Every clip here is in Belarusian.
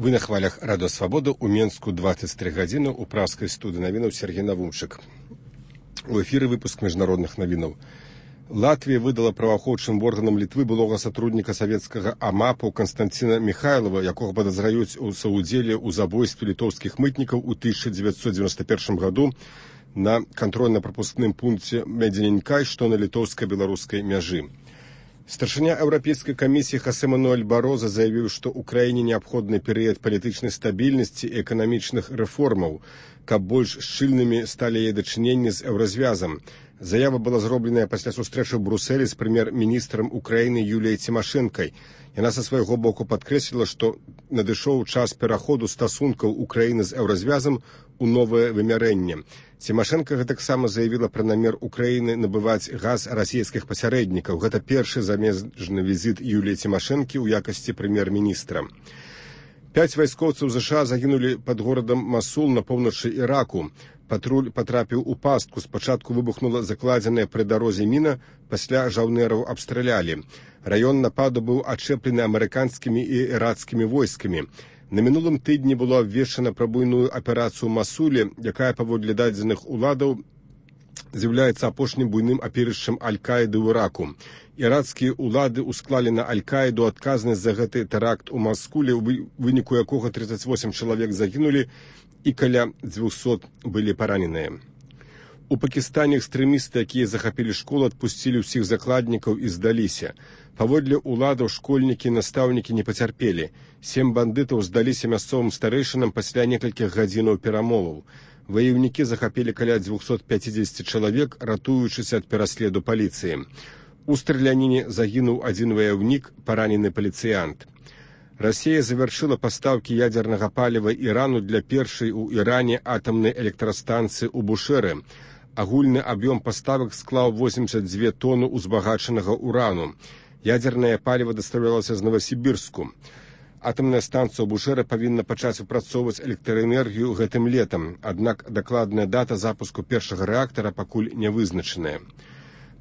Вы на хвалях Радио Свобода у Менску 23 гадзіны у пражскай студыі навінаў Сергей Навумчык. У эфіры выпуск міжнародных навінаў. Латвія выдала праваахоўчым органам Літвы былога сотрудніка савецкага АМАПу Константина Михайлова, якога падазраюць у саўдзеле ў забойстве літоўскіх мытнікаў у 1991 году на кантрольна-прапускным пункце Медзененькай, што на літоўска-беларускай мяжы. Старшыня Еўрапейскай камісіі Хосе Мануэль Бароза заявіў, што ўкраіне неабходны перыяд палітычнай стабільнасці і эканамічных рэформаў, каб больш шчыльнымі сталі яе дачыненні з еўразвязам. Заява была зробленая пасля сустрэчы ў Брусэлі з прэм'ер-міністрам Украіны Юліяй Цімашэнкай. Яна са свайго боку падкрэсліла, што надышоў час пераходу стасункаў Украіны з еўразвязам у новае вымярэнне. Цімашэнка гэтаксама заявіла пра намер Украіны набываць газ расійскіх пасярэднікаў. Гэта першы замежны візіт Юліі Цімашэнкі ў якасці прэм'ер-міністра. 5 вайскоўцаў ЗША загінулі пад горадам Масул на поўначы Іраку. Патруль патрапіў у пастку. Спачатку выбухнула закладзеная пры дарозе міна, пасля жаўнераў абстралялі. Раён нападу быў ачэплены амерыканскімі і ірацкімі войскамі. На мінулым тыдні было абвешчана пра буйную аперацыю ў Масуле, якая, паводле дадзеных уладаў, з'яўляецца апошнім буйным апірышчам Аль-Каіды ў Іраку. Ірацкія ўлады ўсклалі на Аль-Каіду адказнасць за гэты тэракт у Маскуле, у выніку якога 38 чалавек загінулі і каля 200 былі параненыя. У Пакістане экстрэмісты, якія захапілі школу, адпусцілі ўсіх закладнікаў і здаліся. Паводле ўладаў школьнікі і настаўнікі не пацярпелі. 7 бандытаў здаліся мясцовым старэйшынам пасля некалькіх гадзінаў перамоваў. Ваяўнікі захапілі каля 250 чалавек, ратуючыся ад пераследу паліцыі. У страляніне загінуў адзін ваяўнік, паранены паліцыянт. Расія завяршыла пастаўкі ядзернага паліва Ірану для першай у Іране атамнай электрастанцыі ў Бушэры. Агульны аб'ём паставак склаў 82 тоны узбагачанага урану. Ядзернае паліва дастаўлялася з Новасібірску. Атамная станцыя ў Бушэры павінна пачаць выпрацоўваць электраэнергію гэтым летам, аднак дакладная дата запуску першага рэактара пакуль не вызначаная.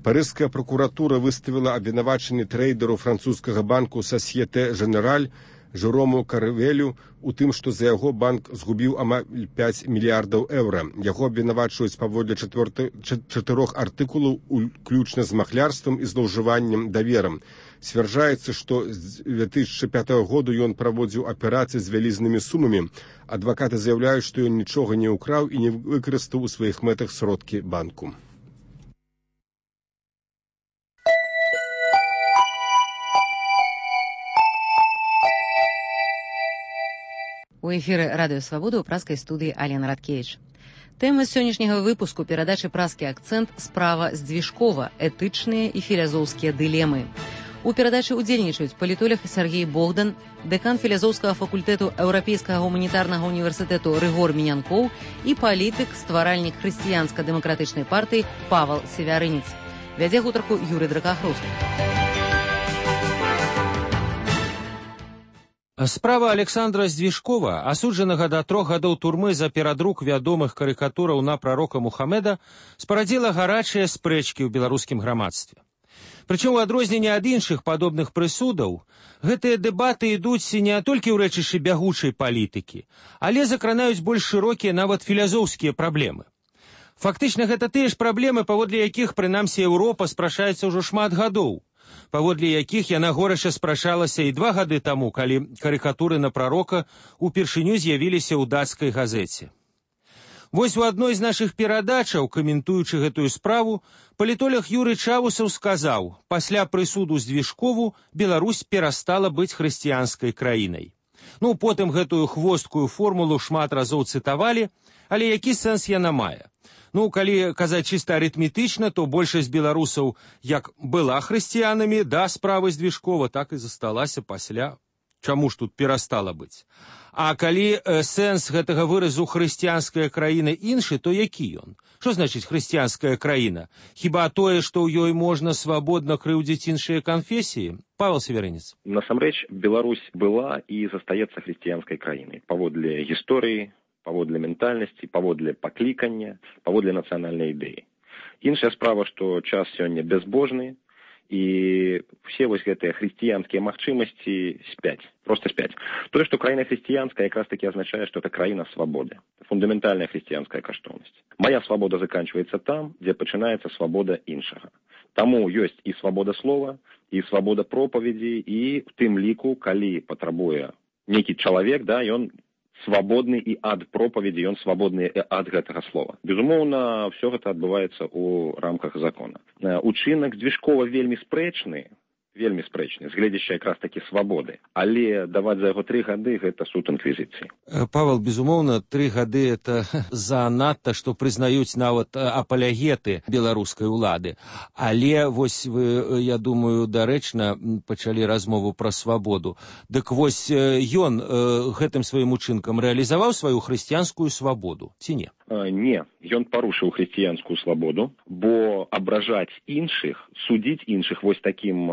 Парыжская прокуратура выставіла абвінавачанне трэйдеру французскага банку Сасьете Женераль Жерому Карвелю у тым, што за яго банк згубіў амаль 5 мільярдаў еўра. Яго абвінавачваюць паводле 4 артыкулаў, уключна з махлярствам і злоўжываннем даверам. Сцвярджаецца, што з 2005 году ён праводзіў аперацыі з вялізнымі сумамі. Адвакаты заяўляюць, што ён нічога не ўкраў і не выкарыстаў у сваіх мэтах сродкі банку. У эфіры Радыё Свабода ў пражскай студыі Алена Радкевіч. Тэма сённяшняга выпуску перадачы «Пражскі акцэнт» справа Здвижкова, этычныя і філазофскія дылемы. У перадачы ўдзельнічаюць палітолог Сергей Богдан, дэкан філазофскага факультэту Еўрапейскага гуманітарнага універсітэту Рыгор Мінянкоў і палітык, стваральнік хрысціянска-дэмакратычнай партыі Павел Севярынец. Вядзе гутарку Юрый Дракахрусту. Справа Александра Здвижкова, асуджанага да 3 гадоў турмы за перадрук вядомых карыкатураў на прарока Мухаммеда, спарадзіла гарачыя спрэчкі ў беларускім грамадстве. Прычым, у адрозненне ад іншых падобных прысудаў, гэтыя дэбаты ідуць не толькі ў рэчышчы бягучай палітыкі, але закранаюць больш шырокія, нават філазофскія праблемы. Фактычна, гэта тыя ж праблемы, паводле якіх, прынамсі, Еўропа спрачаецца ўжо шмат гадоў, паводле якіх яна горача спрачалася і 2 гады таму, калі карыкатуры на прарока упершыню з'явіліся ў дацкай газеце. Вось у адной з нашых перадачаў, каментуючы гэтую справу, палітолог Юрый Чавусаў сказаў: пасля прысуду Здвижкову Беларусь перастала быць хрысціянскай краінай. Потым гэтую хвосткую формулу шмат разоў цытавалі, але які сэнс яна мае? Калі казаць чыста арытметычна, то большасць беларусаў як была хрысціянамі да справы Здвижкова, так і засталася пасля. Чаму ж тут перастала быць? А калі сэнс гэтага выразу хрысціянская краіна іншы, то які ён? Што значыць хрысціянская краіна? Хіба тое, што ў ёй можна свабодна крыўдзіць іншыя канфесіі? Павел Севярынец. Насамрэч, Беларусь была і застаецца хрысціянскай краінай паводле гісторыі, паводле ментальнасці, паводле паклікання, паводле нацыянальнай ідэі. Іншая справа, што час сёння бязбожны, І все вось гэтыя хрысціянскія магчымасці спяць, просто спяць. Тое, што краіна хрысціянская, якраз таки азначае, што это краіна свабоды. Фундаментальная хрысціянская каштоўнасць. Моя свабода заканчивается там, дзе пачынаецца свабода іншага. Таму ёсць і свабода слова, і свабода пропаведзі, і в тым ліку, калі патрабуе нейкі чалавек, да, ён свабодны і ад пропаведзі, ён свабодны і ад гэтага слова. Безумоўна, все гэта адбываецца ў рамках закона. Учынак Дзвіжкова вельмі спрэчны, з гледзяща якраз такі свабоды. Але даваць за яго 3 гады гэта суд інквізіцыі. Павел, безумоўна, 3 гады это занадта, што прызнаюць нават апалягеты беларускай улады. Але вось вы, я думаю, дарэчна пачалі размову пра свабоду. Дык вось ён гэтым сваім учынкам рэалізаваў сваю хрысціянскую свабоду, ці не? Не, ён парушыў хрысціянскую свабоду, бо абражаць іншых, судзіць іншых вось такім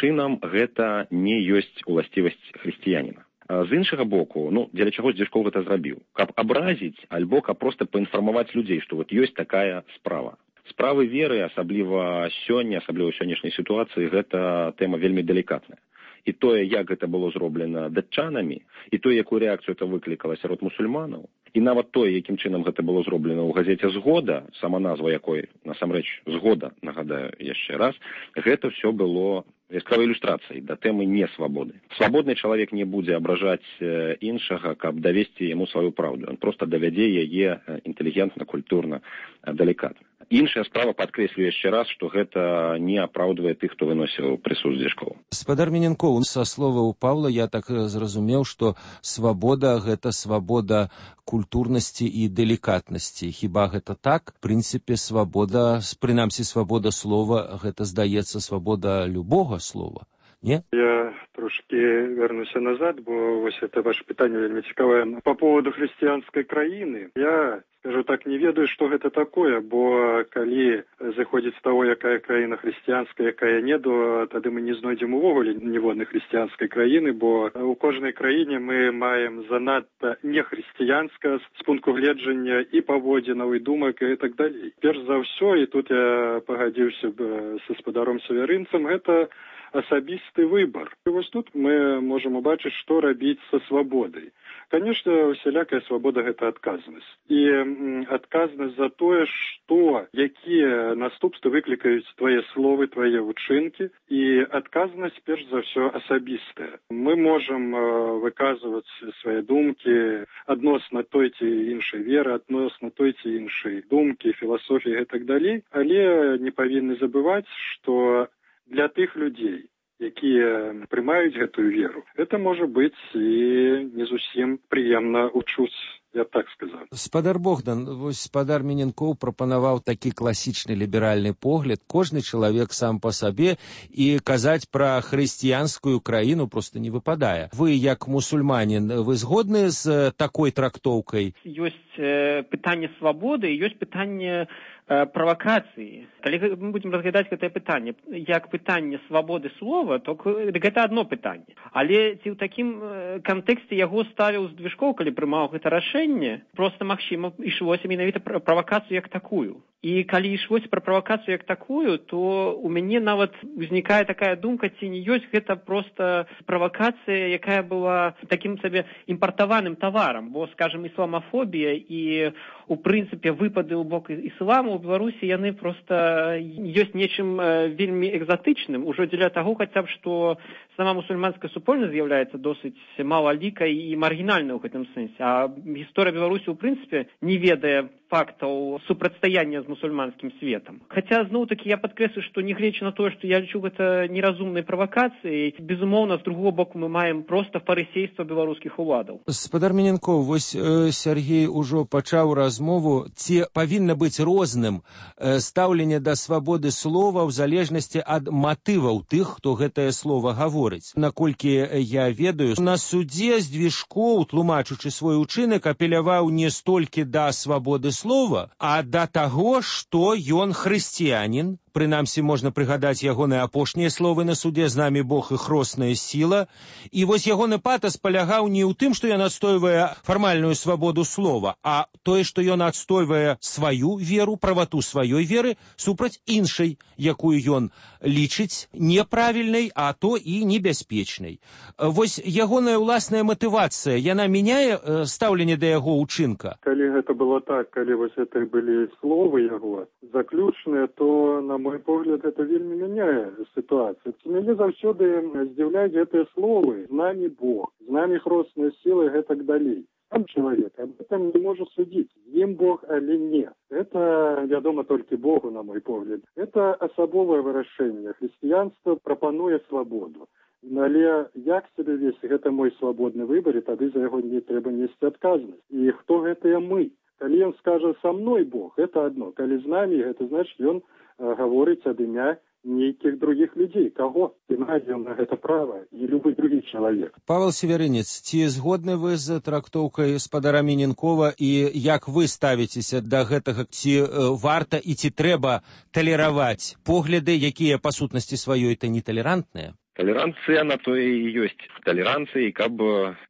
чынам гэта не ёсць уласцівасць хрысціяніна. З іншага боку, дзеля чаго Дзвіжкоў гэта зрабіў? Каб абразіць, альбо каб проста паінфармаваць людзей, што вот ёсць такая справа. Справы веры, асабліва сёння, асабліва ў сённяшняй сітуацыі, гэта тэма вельмі далікатная. І тое, як гэта было зроблена датчанамі, і тое, якую рэакцыю это выклікала сярод мусульманаў, і нават тое, якім чынам гэта было зроблена ў газеце «Згода», сама назва якой, насамрэч, «Згода», нагадаю яшчэ раз, гэта ўсё было яскравай ілюстрацыяй да тэмы несвабоды. Свабодны чалавек не будзе абражаць іншага, каб давесці яму сваю праўду. Ён проста давядзе яе інтэлігентна, культурна, далікатна. Іншая справа, падкрэслю яшчэ раз, што гэта не апраўдвае тых, хто выносіў прысуд Дзвіжкова. Спадар Міненкоў, са словаў Павла я так зразумеў, што свабода – гэта свабода культурнасці і далікатнасці. Хіба гэта так? В прынцыпе, свабода, прынамсі свабода слова, гэта, здаецца, свабода любога слова. Не? Я трошки вернуся назад, бо вось это ваше пытанне вельмі цікавае. По поводу хрысціянскай краіны, я, скажу так, не ведаю, што гэта такое, бо калі заходзіць з таго, якая краіна хрысціянская, якая не, то тады мы не знойдзем увогуле ніводнай хрысціянскай краіны, бо у кожнай краіне мы маем занадта нехрысціянска з пункту гледжання і паводзінаў, і думак, і так далей. Перш за ўсё, і тут я пагадзіўся б са спадаром Савярынцам, гэта асабісты выбор. І вось тут мы можам убачыць, што рабіць са свабодай. Конечно, усялякая свабода – гэта адказнасць. І адказнасць за тое, што, якія наступствы выклікаюць твае словы, твае ўчынкі, і адказнасць, перш за ўсё, асабістая. Мы можам выказваць свае думкі адносна той ці іншай веры, адносна той ці іншай думкі, філасофіі і так далей, але не павінны забываць, што для тых людзей, якія прымаюць гэтую веру, это можа быць і не зусім прыемна ўчуць, я так сказаў. Спадар Богдан, вось спадар Міненкоў прапанаваў такі класічны ліберальны погляд. Кожны чалавек сам па сабе, і казаць пра хрысціянскую краіну проста не выпадае. Вы, як мусульманін, вы згодны з такой трактоўкай? Ёсць пытанне свабоды, ёсць пытанне правакацыі. Калі мы будзем разглядаць гэтае пытанне як пытанне свабоды слова, то гэта адно пытанне. Але ці ў такім кантэксце яго ставіў Дзвіжкоў, калі прымаў гэта рашэнне, проста магчыма ішлося менавіта пра правакацыю як такую. І калі ішлося пра правакацыю як такую, то у мяне нават узнікае такая думка, ці не ёсць гэта проста правакацыя, якая была такім сабе імпартаваным таварам, бо, скажем, ісламафобія і у прынцыпе выпады ў бок ісламу ў Беларусі яны проста ёсць нечым вельмі экзатычным, ужо дзеля таго хаця б, што сама мусульманская супольнасць з'яўляецца досыць малалікай і маргінальнай у гэтым сэнсе. А гісторыя Беларусі ў прынцыпе не ведае фактаў супрацьстаяння з мусульманскім светам. Хаця, зноў-такі, я падкрэслю, што нягледзячы на тое, што я лічу гэта неразумнай правакацыяй, безумоўна, з другого боку мы маем проста фарысейства беларускіх уладаў. Спадар Міненкоў, вось Сергей ужо пачаў размову, ці павінна быць розным стаўленне да свабоды слова ў залежнасці ад матываў тых, хто гэтае слова гаворыць. Наколькі я ведаю, на судзе Дзвіжкоў, тлумачучы свой учынак, апеляваў не столькі да свабоды слова, а да таго, што ён хрысціянін, прынамсі можна прыгадаць ягоныя апошнія словы на судзе «З намі Бог і хросная сіла». І вось ягоны патас палягаў не ў тым, што ён адстойвае фармальную свабоду слова, а тое, што ён адстойвае сваю веру, правату сваёй веры супраць іншай, якую ён лічыць неправільнай, а то і небяспечнай. Вось ягоная ўласная матывацыя, яна мяняе стаўленне да яго ўчынка? Калі гэта было так, калі вось это былі словы яго заключныя, то, на мой погляд, это вельмі мяняе сітуацыю. Мяне заўсёды здзіўляюць гэтыя словы «З намі Бог», «З намі хросная сіла» і гэтак далей. Там человек об этом не может судить, з ім Бог али не. Это вядома толькі Богу, на мой погляд. Это асабовае вырашэнне. Хрысціянства прапануе свабоду. Але як себе весці, гэта мой свабодны выбор, і тады за яго не трэба несці адказнасць. І хто гэтыя мы? Калі ён скажа «Со мной Бог», это одно. Калі з намі, гэта значит, ён гаворыць ад імя нейкіх других людзей. Каго? І мае на гэта права, і любы другі чалавек. Павел Северынец, ці згодны вы з трактоўкай спадара Міненкова, і як вы ставіцеся да гэтага? Ці варта і ці трэба талераваць погляды, якія па сутнасці сваёй то неталерантныя? Толеранция на то и есть. Толеранция, каб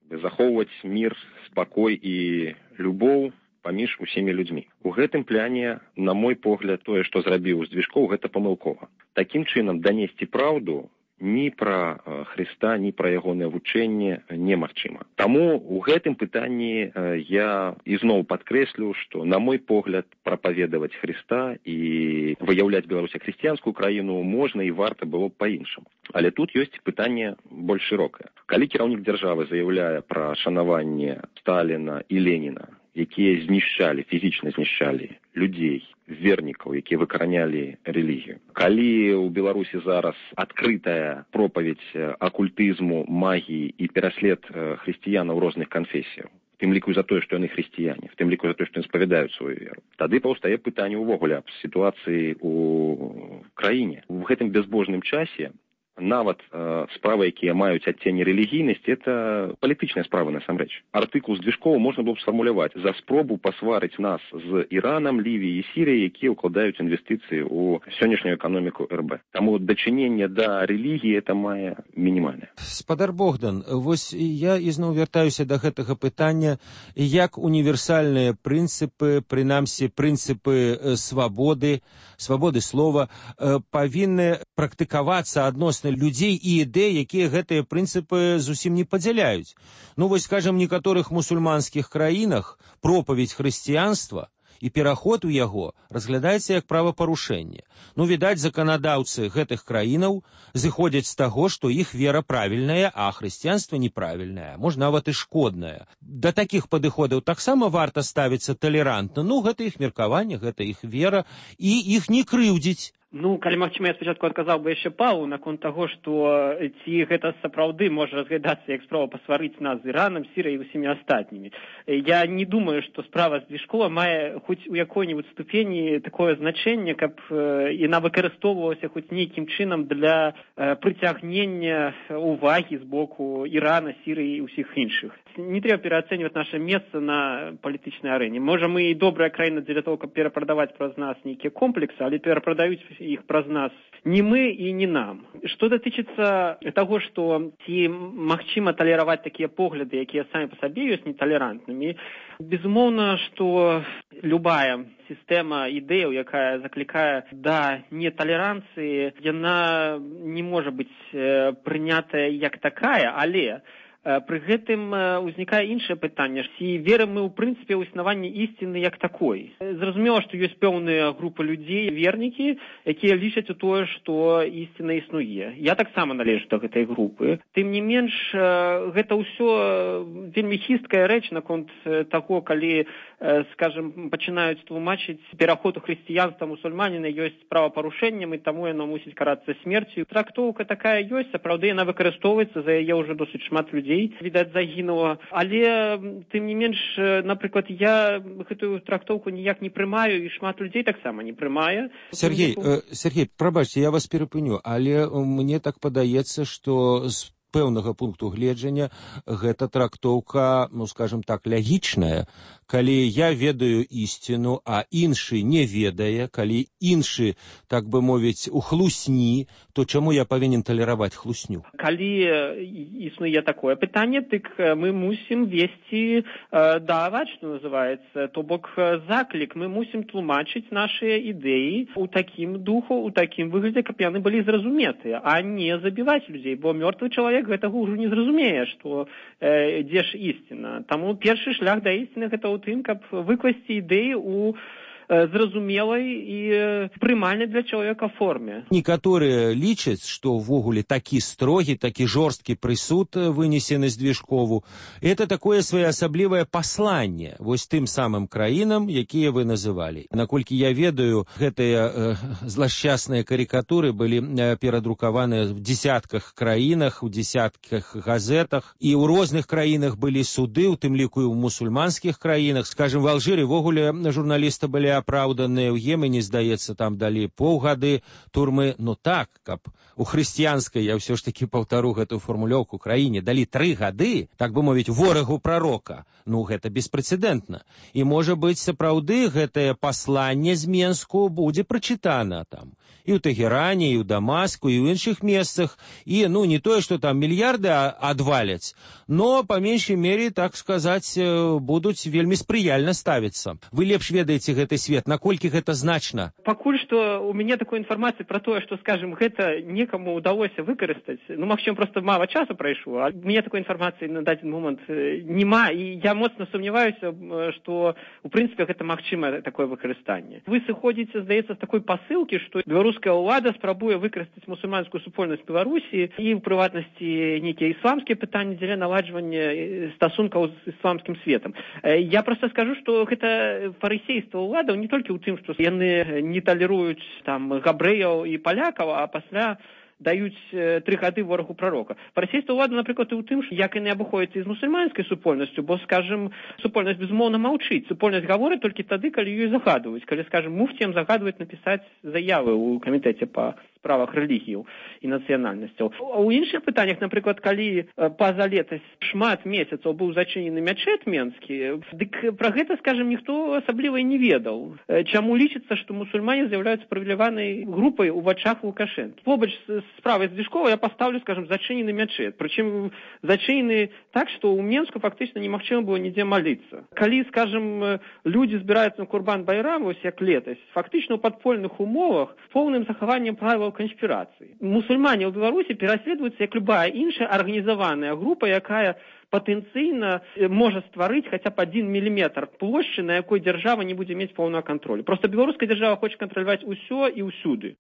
захоўваць мир, спакой і любоў паміж усімі людзьмі. У гэтым пляне, на мой погляд, тое, што зрабіў Здвижков, гэта памылкова. Такім чынам данесці праўду ні пра Хрыста, ні пра ягонае вучэнне немагчыма. Таму у гэтым пытанні я ізноў падкрэслю, што, на мой погляд, прапаведаваць Хрыста і выяўляць Беларусь як хрысціянскую краіну можна і варта было б па-іншаму. Але тут ёсць пытанне больш шырокае. Калі кіраўнік дзяржавы заяўляе пра шанаванне Сталіна і Леніна, якія знішчалі, фізічна знішчалі людзей, вернікаў, якія выкаранялі рэлігію. Калі ў Беларусі зараз адкрытая пропаведь акультызму, магіі і пераслед хрысціянаў розных канфесіяў, в тым ліку за тое, што яны хрысціяне, в тым ліку за тое, што яны спавядаюць сваю веру, тады паўстае пытанне ўвогуле аб сітуацыі ў краіне. У гэтым бязбожным часе нават справы, якія маюць адценне рэлігійнасці, это палітычныя справы насамрэч. Артыкул Здвижкова можна было б сфармуляваць за спробу пасварыць нас з Іранам, Лівіяй і Сірыяй, якія ўкладаюць інвестыцыі ў сённяшнюю эканоміку РБ. Таму дачыненне да рэлігіі это мае мінімальнае. Спадар Богдан, вось я ізноў вяртаюся да гэтага пытання, як універсальныя прынцыпы, прынамсі прынцыпы свабоды слова, павінны практыкавацца адносна людзей і ідэй, якія гэтыя прынцыпы зусім не падзяляюць. Ну, вось, скажам, некаторых мусульманскіх краінах пропаведь хрысціянства і пераход у яго разглядаецца як правапарушэнне. Ну, відаць, заканадаўцы гэтых краінаў зыходзяць з таго, што іх вера правільная, а хрысціянства неправільнае, можа, нават і шкоднае. Да такіх падыходаў таксама варта ставіцца талерантна. Ну, гэта іх меркаванне, гэта іх вера, і іх не крыўдзіць. Ну, калі магчыма, я спачатку адказаў бы яшчэ Павлу наконт таго, што ці гэта сапраўды можа разглядацца як справа пасварыць нас з Іранам, Сірыяй і усімі астатнімі. Я не думаю, што справа Здвижкова мае хоць у якой-небудзь ступені такое значэнне, каб яна выкарыстоўвалася хоць нейкім чынам для прыцягнення увагі з боку Ірана, Сірыі і ўсіх іншых. Не трэба пераацэньваць наша месца на палітычнай арэне. Можа, мы і добрая краіна дзеля того, каб перапрадаваць праз нас нейкія комплексы, але перапрадаюць іх праз нас не мы і не нам. Што датычыцца таго, што ці магчыма талераваць такія погляды, якія самі па сабе ёсць неталерантнымі, безумоўна, што любая сістэма ідэяў, якая заклікае да неталеранцыі, яна не можа быць прынятая як такая, але пры гэтым узнікае іншае пытанне. Ці верым мы ў прынцыпе ў існаванне ісціны як такой? Зразумела, што ёсць пэўныя групы людзей, вернікі, якія лічаць у тое, што ісціна існуе. Я таксама належу да гэтай групы. Тым не менш, гэта ўсё вельмі хісткая рэч наконт таго, калі, скажем, пачынаюць тлумачыць пераход у хрысціянства мусульманіна ёсць правапарушэннем, і таму яно мусіць карацца смерцю. Трактоўка такая ёсць, сапраўды яна выкарыстоўваецца, за яе ўжо досыць шмат людзей, відаць, загінула. Але, тым не менш, напрыклад, я гэтую трактоўку ніяк не прымаю, і шмат людзей таксама не прымае. Сергей, прабачце, я вас перапыню, але мне так падаецца, што з пэўнага пункту гледжання гэта трактоўка, ну, скажем так, лягічная. Калі я ведаю ісціну, а іншы не ведае, калі іншы, так бы мовіць, у хлусні, то чаму я павінен талераваць хлусню? Калі існуе такое пытанне, дык мы мусім весці даваць, што называецца, то бок заклік, мы мусім тлумачыць нашыя ідэі у такім духу, у такім выглядзе, каб яны былі зразуметыя, а не забіваць людзей, бо мёртвы чалавек гэтага ўжо не зразумее, што дзе ж ісціна. Таму першы шлях да ісціны гэта ў тым, каб выкласці ідэі ў зразумелай і прымальнай для чалавека форме. Некаторыя лічаць, што ўвогуле такі строгі, такі жорсткі прысуд вынесены з Движкову, это такое своеасаблівае пасланне вось тым самым краінам, якія вы называлі. Наколькі я ведаю, гэтыя злашчасныя карикатуры былі перадрукаваныя в десятках краінах, у десятках газетах, і ў розных краінах былі суды, у тым ліку і ў мусульманскіх краінах. Скажем, в Алжыры ўвогуле журналісты былі апраўданыя, ў Йемене, здаецца, там далі паўгады турмы. Ну так, каб у хрысціянскай, я ўсё ж такі паўтару гэтую фармулёўку, краіне далі 3 гады, так бы мовіць, ворагу прарока. Ну, гэта беспрэцэдэнтна. І, можа быць, сапраўды гэтае пасланне з Менску будзе прачытана там. І ў Тэгеране, і ў Дамаску, і ў іншых месцах. І, ну, не тое, што там мільярды адваляць, но, па меншай мере, так сказаць, будуць вельмі спрыяльна ставіцца. Вы лепш ведаеце гэты свет, наколькі гэта значна? Пакуль што у мяне такой інфармацыі пра тое, што, скажем, гэта некаму ўдалося выкарыстаць. Ну, магчыма, проста мала часу прайшло, а у мяне такой інфармацыі на дадзены момант няма, і я моцна сумняваюся, што, у прынцыпе, гэта магчымае такое выкарыстанне. Вы сыходзіце, здаецца, з такой пасылкі, што беларуская ўлада спрабуе выкарыстаць мусульманскую супольнасць Беларусі і, у прыватнасці, нейкія ісламскія пытанні дзеля наладжвання стасункаў з ісламскім светам. Я проста скажу, што гэта фарысейства ўладаў не толькі ў тым, што яны не талеруюць там габрэяў і палякаў, а пасля даюць 3 гады ворагу прарока. Фарысейства ўлада, напрыклад, і ў тым, як яны абыходзяцца з мусульманскай супольнасцю, бо, скажем, супольнасць безмоўна маўчыць. Супольнасць гаворыць толькі тады, калі ёй загадваюць. Калі, скажем, муфціям загадваюць напісаць заявы ў камітэце па справах рэлігіяў і нацыянальнасцяў. У іншых пытаннях, напрыклад, калі па-за летась шмат месяцаў быў зачынены мячэт менскі, дык пра гэта, скажем, ніхто асабліва і не ведаў. Чаму лічыцца, што мусульмане з'яўляюцца прывіляванай групай у вачах Лукашэнкі. Побач з справай з Движкова я паставлю, скажем, зачынены мячэт. Прычым зачынены так, што ў Менску фактычна немагчыма было нідзе маліцца. Калі, скажем, людзі збіраюцца на Курбан-Байрам, вось як летась, фактычна ў падпольных умовах, поўным захаваннем правілаў канспірацыі. Мусульмане ў Беларусі пераследуюцца як любая іншая арганізаваная група, якая патэнцыйна можа стварыць хаця б 1 міліметр плошчы, на якой дзяржава не будзе мець поўнага кантролю. Проста беларуская дзяржава хоча кантраляваць усё і ўсюды.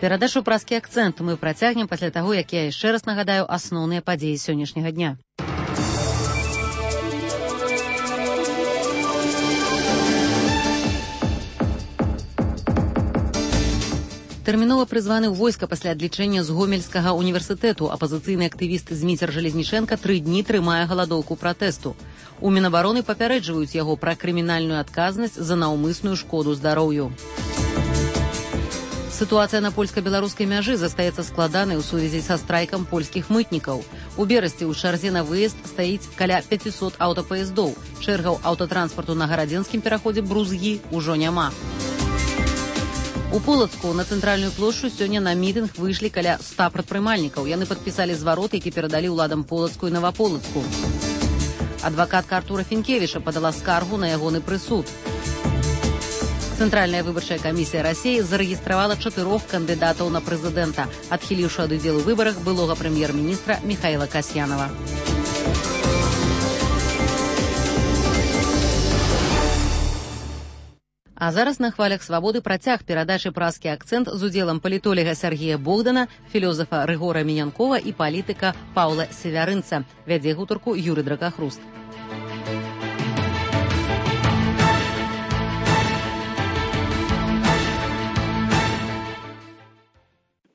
Перадачу «Празкі акцэнт» мы працягнем пасля таго, як я яшчэ раз нагадаю асноўныя падзеі сённяшняга дня. Тэрмінова прызваны ў войска пасля адлічэння з Гомельскага універсітэту. Апазіцыйны актывіст Зміцер Жалезнічэнка 3 дні трымае галадоўку пратэсту. У Мінабароны папярэджваюць яго пра крымінальную адказнасць за наўмысную шкоду здароўю. Сітуацыя на польска-беларускай мяжы застаецца складанай у сувязі са страйкам польскіх мытнікаў. У Берасці ў чарзе на выезд стаіць каля 500 аўтапаездоў. Чэргаў аўтатранспарту на гарадзенскім пераходзе Брузгі ўжо няма. У Полацку на цэнтральную плошчу сёння на мітынг выйшлі каля 100 прадпрымальнікаў. Яны падпісалі зварот, які перадалі ўладам Полацку і Наваполацку. Адвакатка Артура Фінкевіча падала скаргу на ягоны прысуд. Цэнтральная выбарчая камісія Расіі зарэгістравала 4 кандыдатаў на прэзідэнта, адхіліўшы ад удзелу ў выбарах былога прэм'ер-міністра Міхаіла Касьянава. А зараз на хвалях свабоды працяг перадачы «Празкі акцэнт» з удзелам палітолага Сергія Богдана, філёзафа Рыгора Мінянкова і палітыка Паўла Севярынца. Вядзе гутарку Юрый Дракахруст.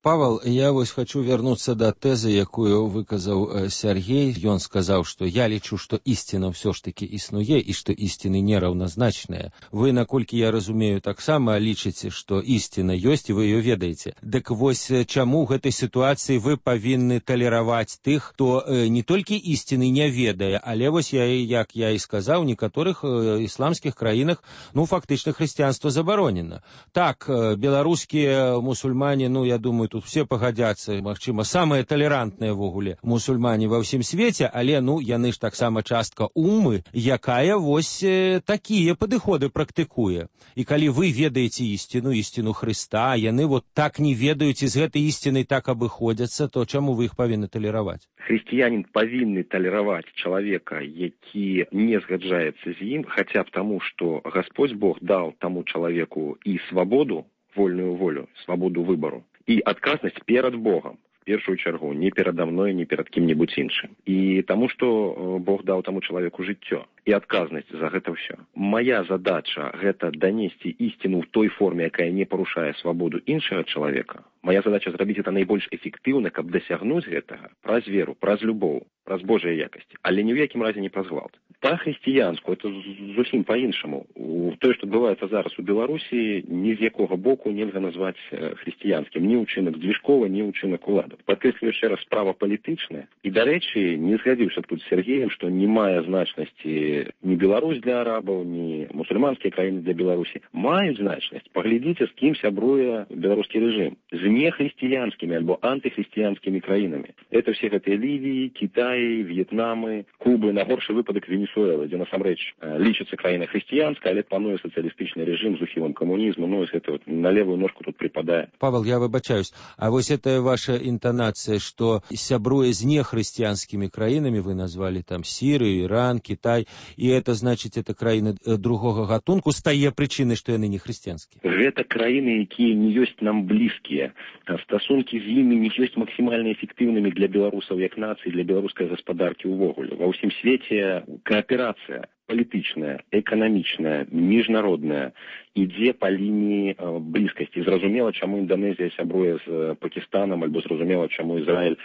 Павел, я вось хочу вернуться до тэзы, якую выказаў Сергей. Ён сказаў, што я лічу, што ісціна ўсё ж таки існуе і што ісціны нераўназначныя. Вы, наколькі я разумею, таксама лічыце, што ісціна ёсць і вы ее ведаеце. Дык вось чаму ў гэтай сітуацыі вы павінны талераваць тых, хто не толькі ісціны не ведае, але вось як я і сказаў, у некаторых ісламскіх краінах, фактычна хрысціянства забаронена. Так, беларускія мусульмане, я думаю, тут все пагадзяцца, магчыма, самыя талерантныя ввогуле мусульмане ва ўсім свеце, але, яны ж таксама частка умы, якая вось такія падыходы практыкуе. І калі вы ведаеце ісціну Хрыста, яны так не ведаюць і з гэтай ісцінай так абыходзяцца, то чаму вы іх павінны талераваць? Хрысціянін павінны талераваць чалавека, які не згаджаецца з ім, хаця б таму, што Гасподзь Бог даў таму чалавеку і свабоду, вольную волю, свабоду выбару, і адказнасць перад Богам, в першую чаргу, не перада мной, не перад кім-небудзь іншым. І таму, што Бог даў таму чалавеку жыццё і адказнасць за гэта ўсё. Мая задача гэта данесці ісціну ў той форме, якая не парушае свабоду іншага чалавека. Моя задача зрабіць гэта найбольш эфектыўна, каб дасягнуць гэтага праз веру, праз любоў, праз Божыя якасці, але ні ў якім разе не праз гвалт. Па-хрысціянску, это зусім па-іншаму. Тое, што адбываецца зараз у Беларусі, ні з якога боку нельга назваць хрысціянскім. Ні ўчынак Дзвіжкова, ні ўчынак улады. Падкрэслю яшчэ раз, справа палітычная. І, дарэчы, не згадзіўся тут з Сергеем, што не мае значнасці ні Беларусь для арабаў, ні мусульманскія краіны для Беларусі. Маюць значнасць. Паглядзіце, з кім сябруе беларускі рэжым. З нехрысціянскімі альбо антыхрысціянскімі краінамі. Это все гэтыя Лівіі, Кітаі, В'етнамы, Кубы, на горшы выпадак Венесуэлы, дзе насамрэч лічыцца краіна хрысціянская, але пануе сацыялістычны рэжым з ухілам камунізму, гэта на левую ножку тут припадае. Павел, я выбачаюсь, а вось это ваша інтанацыя, што сябруе з нехрысціянскімі краінамі, вы назвалі там Сірыю, Іран, Кітай, і это значыць, это краіны другога гатунку, стае прычынай, што яны не хрысціянскія. Гэта краіны, якія не ёсць нам блізкія. Стасункі з імі не ёсць максімальна эфектыўнымі для беларусаў як нацыі, для беларускай гаспадаркі ўвогуле. Ва ўсім свеце кааперацыя палітычная, эканамічная, міжнародная ідзе па лініі блізкасці. Зразумела, чаму Інданезія сябруе з Пакістанам, альбо зразумела, чаму Ізраіль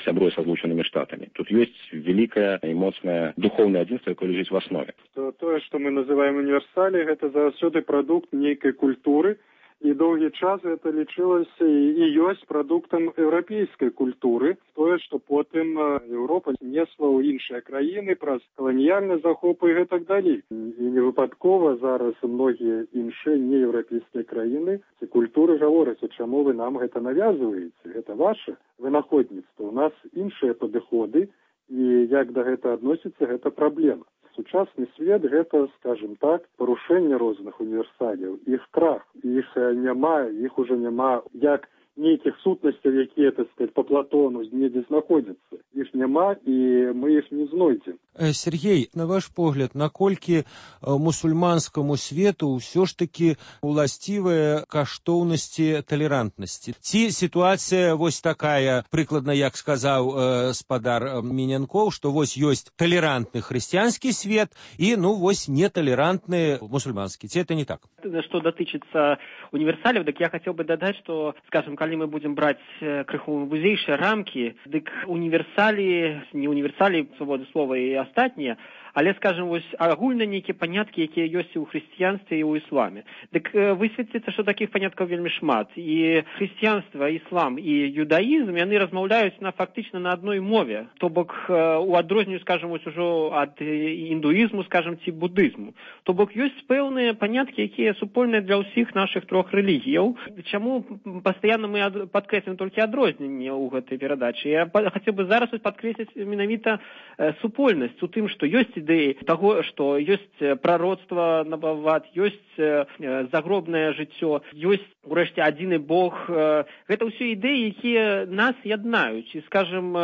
сябруе са Злучанымі Штатамі. Тут ёсць вялікае і моцнае духоўнае адзінства, якое ляжыць в аснове. Тое, што мы называем універсалі, гэта заўсёды прадукт нейкай культуры, і доўгі час гэта лічылася і ёсць прадуктам еўрапейскай культуры, тое, што потым Еўропа несла ў іншыя краіны праз каланіяльны захоп і гэтак далей. І невыпадкова зараз многія іншыя нееўрапейскія краіны ці культуры гавораць, чаму вы нам гэта навязваеце, гэта ваше вынаходніцтва. У нас іншыя падыходы, і як да гэта адносіцца, гэта праблема. Сучасны свет гэта, скажем так, парушэнне розных універсалів, іх крах, іх няма, іх уже няма як нейкіх сутнасцяў, якія, так сказать, по Платону недзе знаходзяцца. Іх няма, і мы іх не знойдзем. Сергей, на ваш погляд, наколькі мусульманскаму свету ўсё ж таки уласцівыя каштоўнасці талерантнасці? Ці сітуацыя вось такая, прыкладна, як сказаў спадар Мінянкоў, што вось ёсць талерантны хрысціянскі свет і, вось неталерантны мусульманскі. Ці это не так? Што датычыцца універсалів, так я хацеў бы дадаць, што, скажем, калі мы будзем браць крыху вузейшыя рамкі, дык універсалі, не універсалі свабоды слова і астатнія, але, скажем, вось агульна нейкія паняткі, якія ёсць і ў хрысціянстве, і ў ісламе. Дык высветліцца, што такіх паняткаў вельмі шмат. І хрысціянства, іслам і юдаізм, яны размаўляюць фактычна на адной мове. То бок, у адрозненню, скажем, вось ужо ад індуізму, скажем, ці будызму. То бок, ёсць пэўныя паняткі, якія супольныя для ўсіх нашых трох рэлігіяў. Чаму пастаянна мы падкрэслім толькі адрозненне ў гэтай перадачы? Я хацеў бы зараз падкрэсліць менавіта супольнасць у тым, што ёсць ідэі таго, што ёсць прароцтва набават, ёсць загробнае жыццё, ёсць, урэшце, адзіны Бог. Гэта ўсё ідэі, якія нас яднаюць. І, скажем,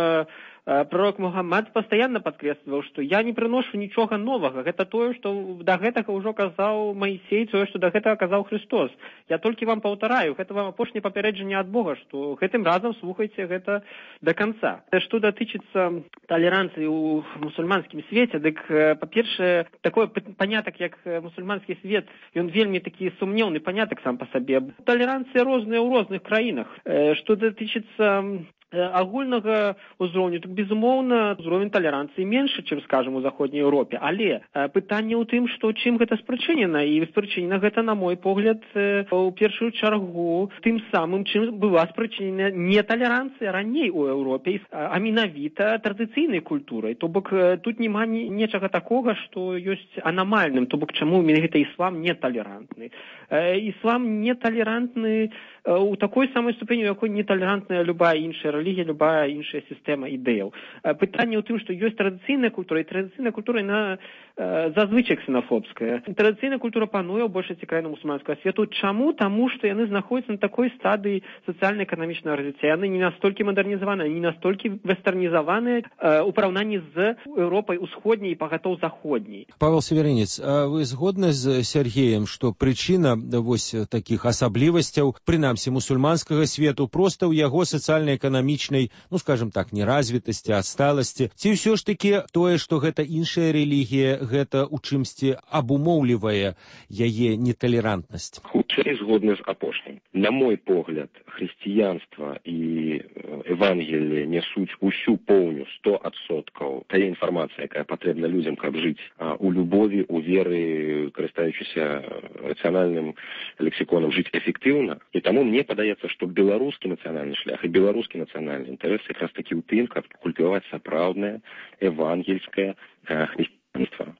пророк Мухаммад пастаянна падкрэсліваў, што я не прыношу нічога новага. Гэта тое, што да гэтага ўжо казаў Маісей, тое, што да гэтага казаў Христос. Я толькі вам паўтараю, гэта вам апошняе папярэджанне ад Бога, што гэтым разам слухайце гэта да канца. Што датычыцца талеранцыі ў мусульманскім свеце, дык, па-першае, такое панятак, як мусульманскі свет, ён вельмі такі сумнеўны панятак сам па сабе. Талеранцыя розная ў розных краінах. Што датычыцца агульнага ўзроўню, так, безумоўна, ўзровень талеранцыі меншы, чым, скажам, у заходняй Еўропе. Але пытанне ў тым, што чым гэта спрычынена. І спрычынена гэта, на мой погляд, у першую чаргу тым самым, чым была спрычынена не талеранцыя раней у Еўропе, а менавіта традыцыйнай культурай. То бок тут няма нечага такога, што ёсць анамальным. То бок чаму менавіта іслам не талерантны. Іслам не талерантны у такой самай ступені, у якой неталерантная любая іншая рэлігія, любая іншая сістэма ідэяў. Пытанне ў тым, што ёсць традыцыйная культура, і традыцыйная культура, яна зазвычай ксенафобская. Традыцыйная культура пануе ў большасці краін мусульманскага свету. Чаму? Таму, што яны знаходзяцца на такой стадыі сацыяльна-эканамічнага развіцця. Яны не настолькі мадэрнізаваныя, не настолькі вестэрнізаваныя у параўнанні з Еўропай усходняй і пагатоў заходняй. Павел Северинец, а вы згодны з Сергеем, што прычына вось такіх асаблівасцяў, прынамсі мусульманскага свету, проста ў яго сацыяльна-эканамічнай, ну, скажем так, неразвітасці, адсталасці? Ці ўсё ж такі тое, што гэта іншая рэлігія, гэта ў чымсьці абумоўлівае яе неталерантнасць? Хутчэй згодны з апошнім. На мой погляд, хрысціянства і Евангелие несуць усю поўню 100% тая інфармацыя, якая патрэбна людзям, каб жыць у любові, у веры, карыстаючыся рацыянальным лексіконам, жыць эфектыўна. І таму мне падаецца, што беларускі нацыянальны шлях і беларускі нацыянальны інтарэс якраз такі ў тым, каб культываваць сапраўднае евангельскае хрысціянства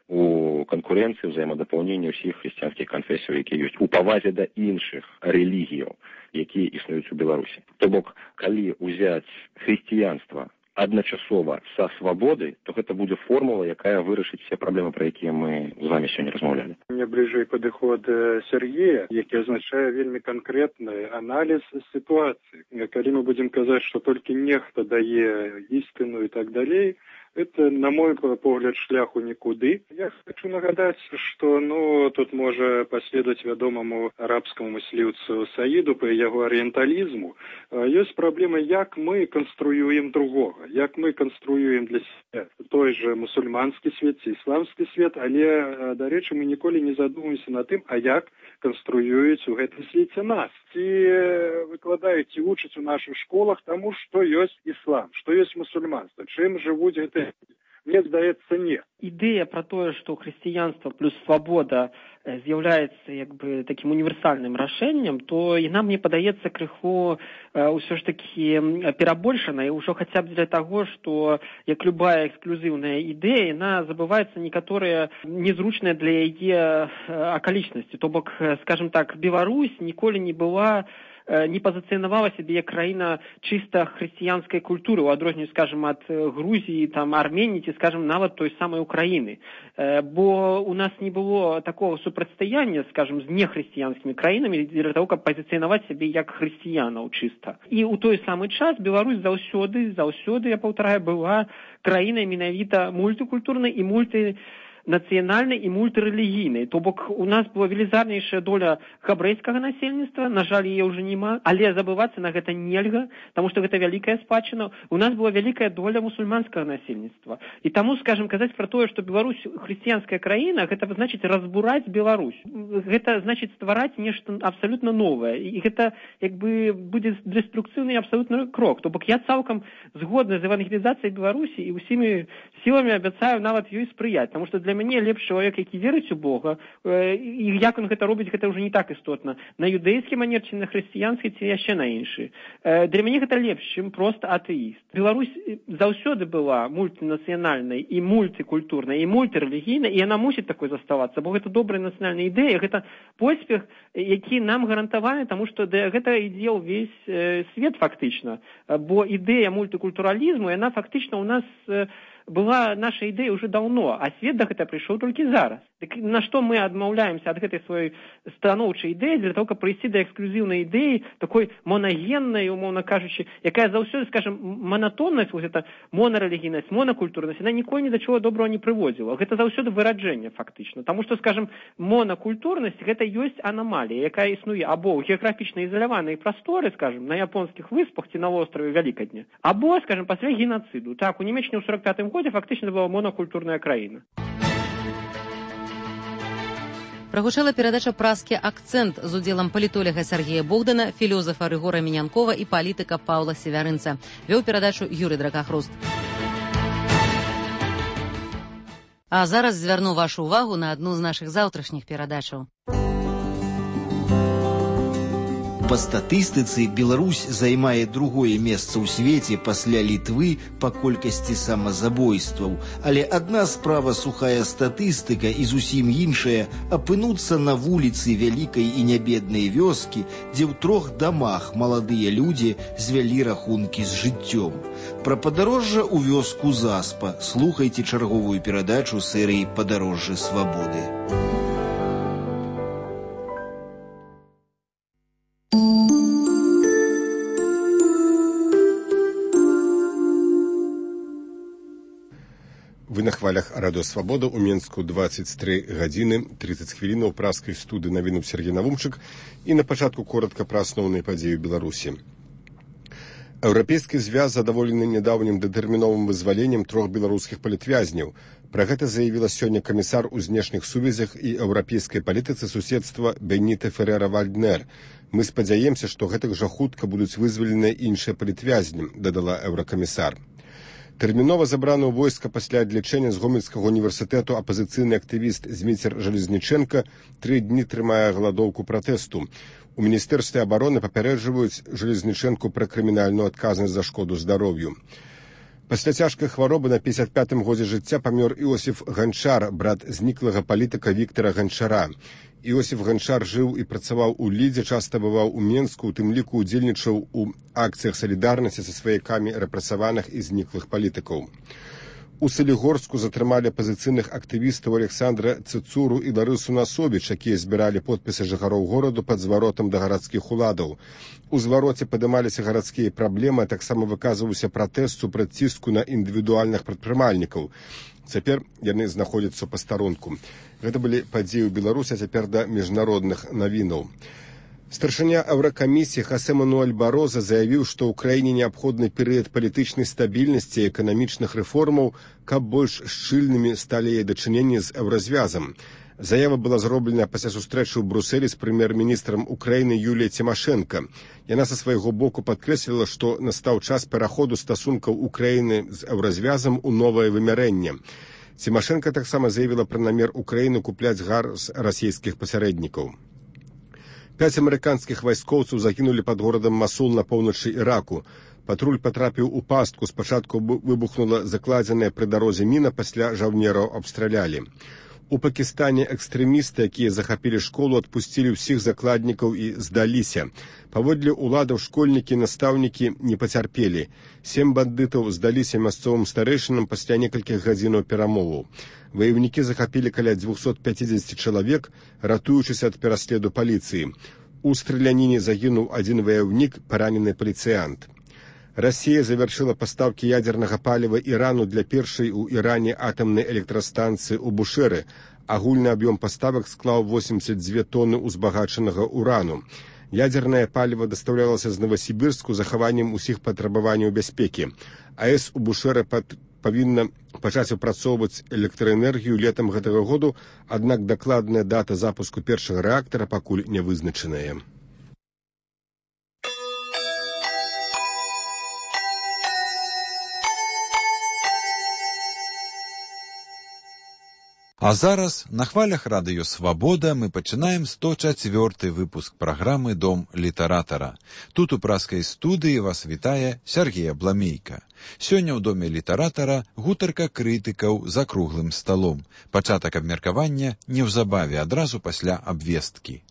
у канкурэнцыі, ўзаемадапаўнення ўсіх хрысціянскіх канфесіяў, якія ёсць, у павазе да іншых рэлігіяў, якія існуюць у Беларусі. То бок, калі ўзяць хрысціянства адначасова са свабодай, то гэта будзе формула, якая вырашыць все праблемы, пра якія мы з вами сёння размаўлялі. Мне бліжэй падыход Сергея, які азначае вельмі канкрэтны аналіз сітуацыі. Калі мы будзем казаць, што толькі нехта дае істыну і так далей, это, на мой погляд, шляху нікуды. Я хочу нагадаць, што тут можа паследаваць вядомаму арабскаму мысліўцу Саіду па яго арыенталізму. Ёсць праблема, як мы канструюем другога, як мы канструюем для сябе той же мусульманскі свет ці ісламскі свет, але, дарэчы, мы ніколі не задумаемся над тым, а як канструююць у гэтым свеце нас. Ці выкладаюць, ці вучаць у нашых школах таму, што ёсць іслам, што ёсць мусульманства, чым жывуць гэты. Мне здаецца, не. Ідэя пра тое, што хрысціянства плюс свабода з'яўляецца як бы такім універсальным рашэннем, то яна, мне падаецца, крыху ўсё ж такі перабольшана, і ўжо хаця б для таго, што як любая эксклюзіўная ідэя, яна забываецца некаторыя незручныя для яе акалічнасці. То бок, скажем так, Беларусь ніколі не была не пазіцыянавала сябе як краіна чыста хрысціянскай культуры, у адрозненні, скажем, ад Грузіі, там, Арменіі, ці, скажем, нават той самай Украіны. Бо у нас не было такого супрацьстаяння, скажем, з нехрысціянскімі краінамі для того, каб пазіцыянаваць сябе як хрысціянаў чыста. І ў той самы час Беларусь заўсёды, я паўтараю, была краінай менавіта мультыкультурнай і нацыянальнай і мультырэлігійнай. То бок у нас была велізарнейшая доля габрэйскага насельніцтва, на жаль, яе ўжо няма, але забывацца на гэта нельга, таму што гэта вялікая спадчына. У нас была вялікая доля мусульманскага насельніцтва. І таму, скажем, казаць пра тое, што Беларусь хрысціянская краіна, гэта значыць разбураць Беларусь. Гэта значыць ствараць нешта абсалютна новае. І гэта як бы будзе дэструкцыйны абсалютны крок. То бок я цалкам згодна з евангелізацыяй Беларусі і ўсімі сіламі абяцаю нават ёй спрыяць, таму што для мяне лепш чалавек, які верыць у Бога, і як он гэта робіць, гэта ўжо не так істотна. На юдэйскі манер, ці на хрысціянскі, ці яшчэ на іншы. Для мяне гэта лепш, чым проста атэіст. Беларусь заўсёды была мультынацыянальнай і мультыкультурнай, і мультырэлігійнай, і яна мусіць такой заставацца, бо гэта добрая нацыянальная ідэя, гэта поспех, які нам гарантаваны, таму што гэта ідзе ўвесь свет фактычна. Бо ідэя мультыкультуралізму, яна фактычна ў нас была наша ідэя ўжо даўно, а свет да гэта прыйшоў толькі зараз. Так на што мы адмаўляемся ад гэтай сваёй станоўчай ідэі для того, каб прыйсці да эксклюзіўнай ідэі, такой монагеннай, умоўна кажучы, якая заўсёды, скажем, монатоннасць, вось гэта монарэлігійнасць, монакультурнасць, яна ніколі ні да чого доброго не прыводзіла. Гэта заўсёды выраджэнне, фактычна. Таму што, скажем, монакультурнасць гэта ёсць анамалія, якая існуе або ў геаграфічна ізаляванай прасторы, скажем, на японскіх выспах ці на востраве Вялікадня, або, скажем, пасля генацыду. Так, у Нямеччыне ў 45-м годзе фактычна была монакультурная краіна. Прагучала перадача «Праскі акцэнт» з удзелам палітоляга Сергея Богдана, філёзафа Рыгора Мінянкова і палітыка Паўла Севярынца. Вёў перадачу Юрый Дракахруст. А зараз звярну вашу ўвагу на адну з нашых заўтрашніх перадачаў. Па статыстыцы Беларусь займае другое месца ў свеце пасля Літвы па колькасці самазабойстваў. Але адна справа сухая статыстыка і зусім іншая апынуцца на вуліцы вялікай і нябеднай вёскі, дзе ў 3 дамах маладыя людзі звялі рахункі з жыццём. Пра падарожжа ў вёску Заспа слухайце чарговую перадачу серыі «Падарожжа свабоды». Вы на хвалях Радыё Свабода ў Менску 23 гадзіны 30 хвілінаў праскай студыі навінаў Сергей Навумчык і на пачатку коротка пра асноўныя падзеі ў Беларусі. Еўрапейскі звяз задаволены нядаўнім датэрміновым вызваленнем 3 беларускіх палітвязняў. Пра гэта заявіла сёння камісар у знешніх сувязях і еўрапейскай палітыцы суседства Беніта Ферера-Вальднер. Мы спадзяемся, што гэтак жа хутка будуць вызваленыя іншыя палітвязні, дадала еўракамісар. Тэрмінова забраны ў войска пасля адлячэння з Гомельскага універсітэту апазіцыйны актывіст Зміцер Жалезнічэнка 3 дні трымае галадоўку пратэсту. У Міністэрстве абароны папярэджваюць Жалезнічэнку пра крымінальную адказнасць за шкоду здароўю. Пасля цяжкай хваробы на 55-м годзе жыцця памёр Іосіф Ганчар, брат зніклага палітыка Віктара Ганчара. Іосіф Ганчар жыў і працаваў у Лідзе, часта бываў у Менску, у тым ліку удзельнічаў у акцыях салідарнасці са сваякамі рэпрэсаваных і зніклых палітыкаў. У Салігорску затрымалі апазіцыйных актывістаў Александра Цыцуру і Ларысу Насобіч, якія збіралі подпісы жыхароў гораду пад зваротам да гарадскіх уладаў. У звароце падымаліся гарадскія праблемы, а таксама выказваўся пратэст супраць ціску на індывідуальных прадпрымальнікаў. Цяпер яны знаходзяцца ў пастарунку. Гэта былі падзеі ў Беларусі, а цяпер да міжнародных навінаў. Старшыня Еўракамісіі Хасе Мануэль Бароза заявіў, што ў краіне неабходны перыяд палітычнай стабільнасці і эканамічных рэформаў, каб больш шчыльнымі сталі яе дачыненні з еўразвязам. Заява была зроблена пасля сустрэчы ў Брусэлі з прэм'ер-міністрам Украіны Юліяй Цімашэнка. Яна са свайго боку падкрэсліла, што настаў час пераходу стасункаў Украіны з еўразвязам у новае вымярэнне. Цімашэнка таксама заявіла пра намер Украіны купляць газ расійскіх пасярэднікаў. 5 амерыканскіх вайскоўцаў загінулі пад горадам Масул на поўначы Іраку. Патруль патрапіў у пастку. Спачатку выбухнула закладзеная пры дарозе міна, пасля жаўнераў абстралялі. У Пакістане экстрэмісты, якія захапілі школу, адпусцілі ўсіх закладнікаў і здаліся. Паводле ўладаў школьнікі і настаўнікі не пацярпелі. 7 бандытаў здаліся мясцовым старэйшынам пасля некалькіх гадзінаў перамоваў. Ваявнікі захапілі каля 250 чалавек, ратуючыся ад пераследу паліцыі. У страляніне загінуў 1 ваяўнік, паранены паліцыянт. Расія завяршыла пастаўкі ядзернага паліва Ірану для першай у Іране атамнай электрастанцыі ў Бушэры. Агульны аб'ём паставак склаў 82 тоны узбагачанага урану. Ядзернае паліва дастаўлялася з Новасібірску з захаваннем усіх патрабаванняў бяспекі. АЭС у Бушэры павінна пачаць апрацоўваць электраэнергію летам гэтага году, аднак дакладная дата запуску першага рэактара пакуль не вызначаная. А зараз на хвалях Радыё Свабода мы пачынаем 104-й выпуск праграмы «Дом літаратара». Тут у праскай студыі вас вітае Сергей Абламейка. Сёння ў Доме літаратара гутарка крытыкаў за круглым сталом. Пачатак абмеркавання неўзабаве, адразу пасля абвесткі.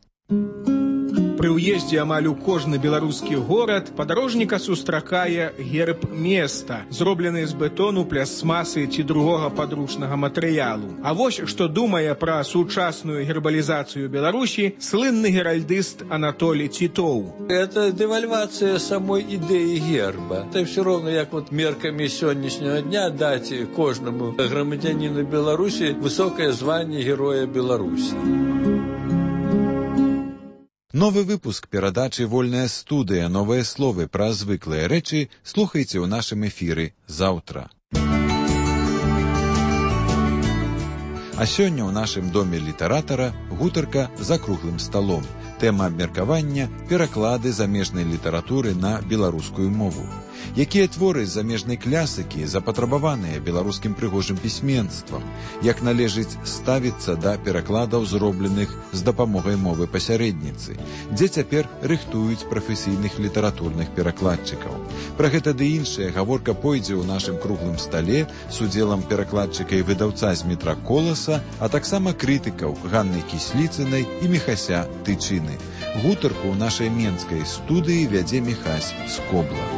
Пры ўездзе амаль у кожны беларускі горад падарожніка сустракае герб места, зроблены з бетону, пластмасы ці другога падручнага матэрыялу. А вось што думае пра сучасную гербалізацыю Беларусі слынны геральдыст Анатолий Титов. Это девальвация самой идеи герба. Это все равно, как вот мерками сегодняшнего дня дать каждому громадянину Беларуси высокое звание Героя Беларуси. Новы выпуск перадачы «Вольная студыя. Новыя словы пра звыклыя рэчы» слухайце ў нашым эфіры заўтра. А сёння ў нашым доме літаратара гутарка за круглым сталом. Тэма абмеркавання – пераклады замежнай літаратуры на беларускую мову. Якія творы з замежнай клясыкі запатрабаваныя беларускім прыгожым пісьменствам? Як належыць ставіцца да перакладаў, зробленых з дапамогай мовы пасярэдніцы? Дзе цяпер рыхтуюць прафесійных літаратурных перакладчыкаў? Пра гэта ды іншае гаворка пойдзе ў нашым круглым стале з удзелам перакладчыка і выдаўца Змітра Коласа, а таксама крытыкаў Ганны Кісліцынай і Міхася Тычыны. Гутарку ў нашай менскай студыі вядзе Міхась Скобла.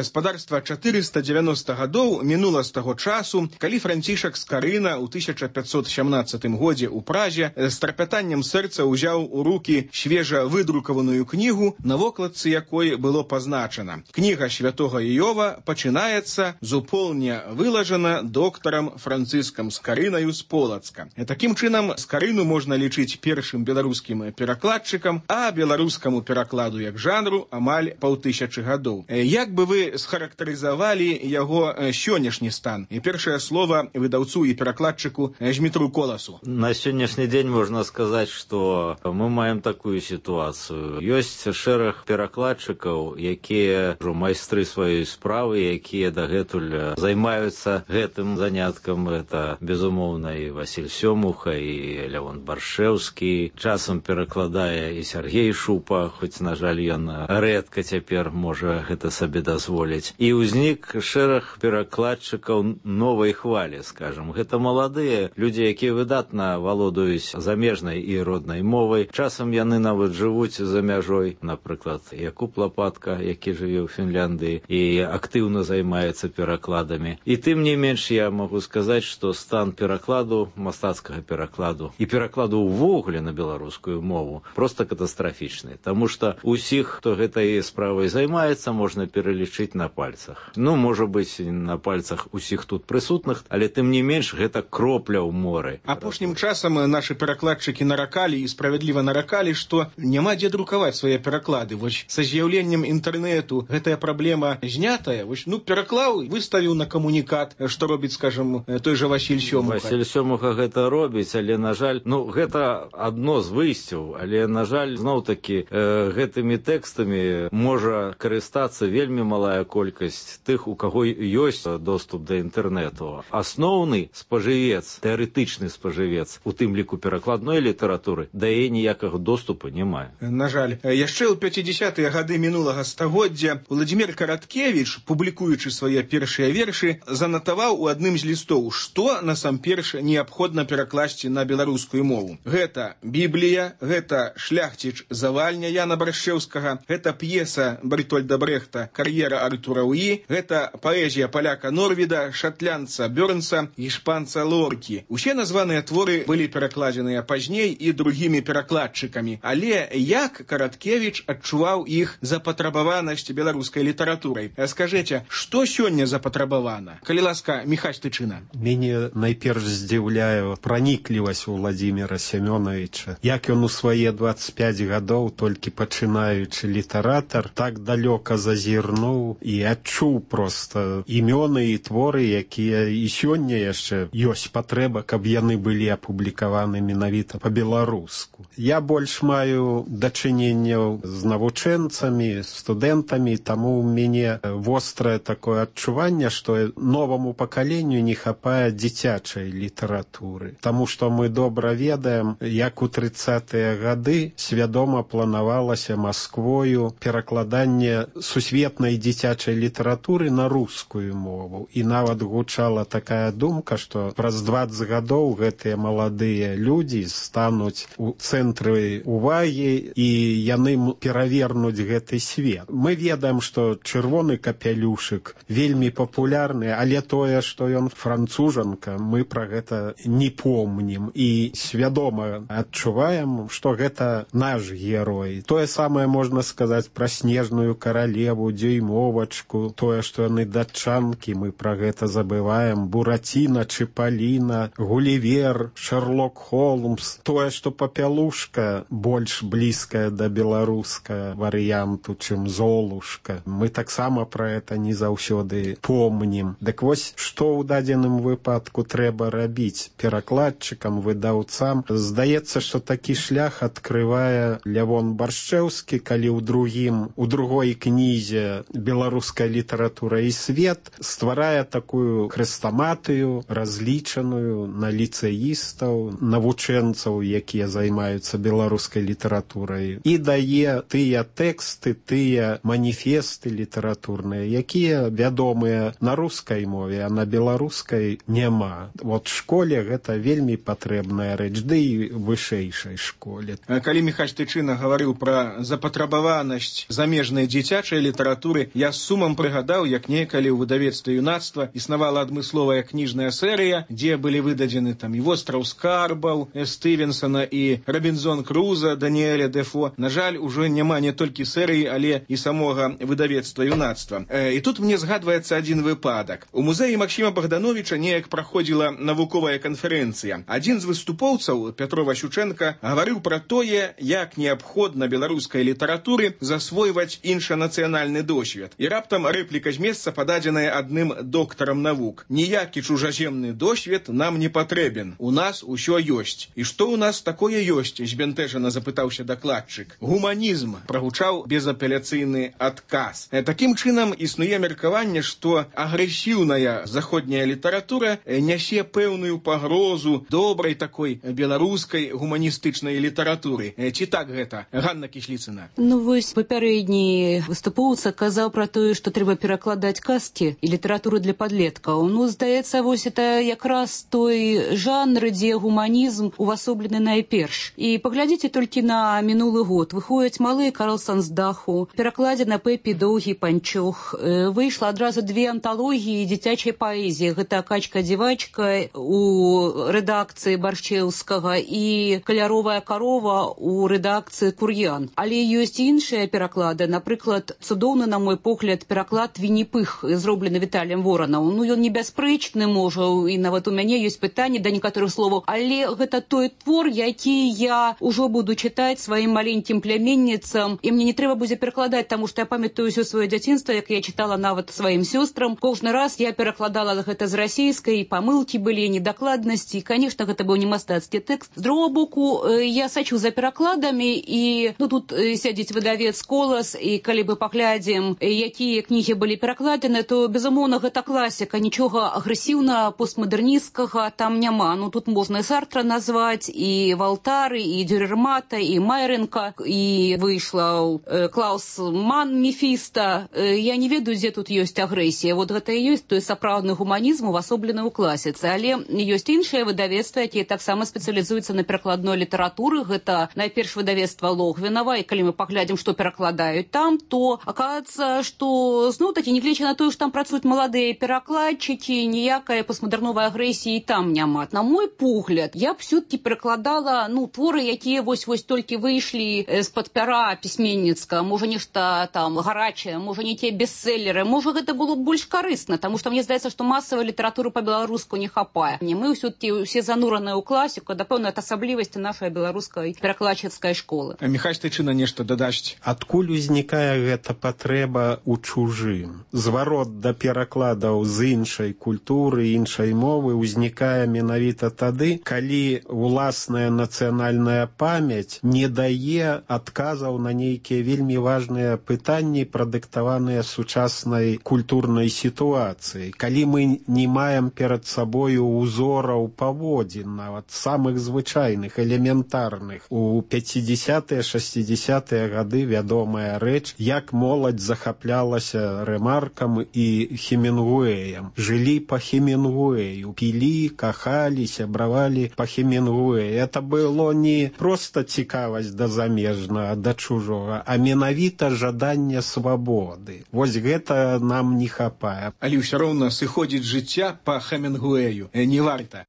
Спадарства 490 гадоў мінула з таго часу, калі Францішак Скарына ў 1517 годзе ў Празе з трапятаннем сэрца ўзяў у рукі свежа выдрукаваную кнігу, на вокладцы якой было пазначана: кніга святога Іова пачынаецца з уполня вылажана доктарам Францыскам Скарынаю з Полацка. Такім чынам, Скарыну можна лічыць першым беларускім перакладчыкам, а беларускаму перакладу як жанру амаль 5000 гадоў. Як бы вы схарактарызавалі яго сённяшні стан? І першае слова выдаўцу і перакладчыку Змітру Коласу. На сённяшні дзень можна сказаць, што мы маем такую сітуацыю. Ёсць шэраг перакладчыкаў, якія майстры сваёй справы, якія дагэтуль займаюцца гэтым заняткам. Это, безумоўна, і Васіль Сёмуха, і Лявон Баршэўскі. Часам перакладае і Сяргей Шупа, хоць, на жаль, ён рэдка цяпер можа гэта сабе дазволіць. І ўзнік шэраг перакладчыкаў новай хвалі, скажам. Гэта маладыя людзі, якія выдатна валодаюць замежнай і роднай мовай. Часам яны нават жывуць за мяжой. Напрыклад, Якуб Лапатка, які жыве ў Фінляндыі і актыўна займаецца перакладамі. І тым не менш я магу сказаць, што стан перакладу, мастацкага перакладу і перакладу ўвогуле на беларускую мову проста катастрафічны. Таму што усіх, хто гэтай справай займаецца, можна пералічыць на пальцах. Ну, можа быць, на пальцах усіх тут прысутных, але тым не менш гэта кропля ў моры. Апошнім часам нашы перакладчыкі наракалі і справядліва наракалі, што няма дзе друкаваць свае пераклады. Вось са з'яўленнем інтэрнэту гэтая праблема знятая. Вось, пераклаў, выставіў на камунікат, што робіць, скажам, той жа Васіль Сёмуха. Васіль Сёмуха гэта робіць, але, на жаль, гэта адно з выйсцяў, але, на жаль, зноў-такі гэтымі тэкстамі можа карыстацца вельмі малая колькасць тых, у каго ёсць доступ да інтэрнэту. Асноўны спажывец, тэарэтычны спажывец, у тым ліку перакладной літаратуры, да яе ніякага доступу не мае. На жаль, яшчэ ў 50-е гады мінулага стагоддзя Владзімір Караткевіч, публікуючы свае першыя вершы, занатаваў у адным з лістоў, што насамперш неабходна перакласці на беларускую мову. Гэта Біблія, гэта Шляхціч Завальня Яна Баршэўскага, гэта п'еса Бертольда Брехта «Кар'ера Артура Уі», гэта паэзія паляка Норвіда, шатлянца Бёрнса і шпанца Лоркі. Усе названыя творы былі перакладзеныя пазней і другімі перакладчыкамі. Але як Караткевіч адчуваў іх запатрабаванасць беларускай літаратурай? Скажыце, што сёння запатрабавана? Калі ласка, Міхась Тычына. Мяне найперш здзіўляе праніклівасць у Владзіміра Семёнавіча. Як ён у свае 25 гадоў, толькі пачынаючы літаратар, так далёка зазірнуў і адчуў проста імёны і творы, якія і сёння яшчэ ёсць патрэба, каб яны былі апублікаваны менавіта па-беларуску. Я больш маю дачыненняў з навучэнцамі, студэнтамі, таму ў мяне вострае такое адчуванне, што новаму пакаленню не хапае дзіцячай літаратуры. Таму што мы добра ведаем, як у 30-е гады свядома планавалася Масквою перакладанне сусветнай дзіцячай дзіцячай літаратуры на рускую мову. І нават гучала такая думка, што праз 20 гадоў гэтыя маладыя людзі стануць у цэнтры увагі і яны перавернуць гэты свет. Мы ведаем, што чырвоны капялюшык вельмі папулярны, але тое, што ён францужанка, мы пра гэта не помнім і свядома адчуваем, што гэта наш герой. Тое самае можна сказаць пра снежную каралеву, дзюймовачку, тое, што яны датчанкі, мы пра гэта забываем, Бураціна, Чыпаліна, Гулівер, Шерлок Холмс, тое, што папялушка больш блізкая да беларуска варыянту, чым Золушка. Мы таксама пра гэта не заўсёды помнім. Дык вось, што ў дадзеным выпадку трэба рабіць перакладчыкам, выдаўцам? Здаецца, што такі шлях адкрывае Лявон Баршчэўскі, калі у другой кнізе «Беларуская літаратура і свет» стварае такую хрэстаматыю, разлічаную на ліцэістаў, навучэнцаў, якія займаюцца беларускай літаратурай, і дае тыя тэксты, тыя маніфесты літаратурныя, якія вядомыя на рускай мове, а на беларускай няма. Вот школе гэта вельмі патрэбная рэч, ды і вышэйшай школе. Калі Міхась Тычына гаварыў пра запатрабаванасць замежнай дзіцячай літаратуры, я з сумам прыгадаў, як некалі ў выдавецтве «Юнацтва» існавала адмысловая кніжная серыя, дзе былі выдадзены там і «Востраў скарбаў» Стывенсона і «Робінзон Круза» Даніэля Дефо. На жаль, ужо няма не толькі серыі, але і самога выдавецтва «Юнацтва». І тут мне згадваецца адзін выпадак. У музеі Максіма Богдановича неяк праходзіла навуковая канферэнцыя. Адзін з выступоўцаў, Пятро Ващученко, гаварыў пра тое, як неабходна беларускай літаратуры засвойваць іншанацыянальны досвед. І раптам рэпліка з месца, пададзеная адным доктарам навук. Ніякі чужаземны досвед нам не патрэбен. У нас усё ёсць. І што ў нас такое ёсць? Збянтэжана запытаўся дакладчык. Гуманізм, прагучаў безапеляцыйны адказ. Такім чынам існуе меркаванне, што агрэсіўная заходняя літаратура нясе пэўную пагрозу добрай такой беларускай гуманістычнай літаратуры. Ці так гэта, Ганна Кісліцына? Ну вось папярэдні выступоўца казаў пра тое, што трэба перакладаць казкі і літаратуру для падлеткаў. Ну, здаецца, вось это якраз той жанр, дзе гуманізм увасоблены найперш. І паглядзіце толькі на мінулы год. Выходзяць малыя Карлсон з даху, перакладзена Пепі Доўгі панчох. Выйшла адразу 2 анталогіі дзіцячай паэзіі. Гэта Качка-дзівачка у рэдакцыі Баршчэўскага і Каляровая карова у рэдакцыі Кур'ян. Але ёсць іншыя пераклады. Напрыклад, цудоўны, на мой погляд, пераклад Вінні-Пых, зроблены Віталіем Воранам. Ну, ён небяспрэчны, можа, і нават у мяне ёсць пытанні да некаторых словаў, але гэта той твор, які я ўжо буду чытаць сваім маленькім пляменніцам, і мне не трэба будзе перакладаць, таму што я памятаю ўсё сваё дзяцінства, як я чытала нават сваім сёстрам. Кожны раз я перакладала гэта з расійскай, памылкі былі, недакладнасці, і, канешне, гэта быў не мастацкі тэкст. З другого боку, я сачу за перакладамі, і тут сядзіць выдавец «Колас», і калі мы паглядзім, якія кнігі былі перакладзены, то, безумоўна, гэта класіка, нічога агрэсіўна постмадэрністкага там няма. Ну, тут можна і Сартра назваць, і Валтары, і Дюрермата, і Майренка, і выйшла Клаус Ман Мефіста. Я не ведаю, дзе тут ёсць агрэсія. Вот гэта і ёсць той сапраўдны гуманізм, увасоблены ў класіцы. Але ёсць іншыя выдавецтвы, якія таксама спецыялізуюцца на перакладной літаратуры. Гэта найперш выдавецтва Логвінава, і калі мы паглядзім, што перакладаюць там, то аказваецца, што зноў-такі, нягледзячы на тое, што там працуюць маладыя перакладчыкі, ніякай постмадэрновай агрэсіі там няма. На мой погляд, я б все-таки перакладала, творы, якія вось-вось толькі выйшлі з-пад пяра пісьменніцка, можа нешта там гарачае, можа не те бестселлеры, можа гэта было б больш карысна, таму што мне здаецца, што масавай літаратуры па-беларуску не хапае. Мы все-таки усе занураныя ў класіку, да пэўнай асаблівасці нашай беларускай перакладчыцкай школы. Міхась Тычына нешта дадасць. Адкуль узнікае гэта патрэба ў чужым? Зварот да перакладаў з іншай культуры, іншай мовы ўзнікае менавіта тады, калі уласная нацыянальная памяць не дае адказаў на нейкія вельмі важныя пытанні, прадыктаваныя сучаснай культурнай сітуацыяй. Калі мы не маем перад сабою узораў паводзін, нават самых звычайных, элементарных. У 50-е, 60-е гады вядомая рэч, як моладзь захапляла асвятлялася Рэмаркам і Хемінгуэем. Жылі па Хемінгуэю, пілі, кахалі, сябравалі па Хемінгуэю. Это было не проста цікавасць да замежнага, да чужога, а менавіта жаданне свабоды. Вось гэта нам не хапае. Але ўсё роўна сыходзіць жыцця па Хемінгуэю. Не варта.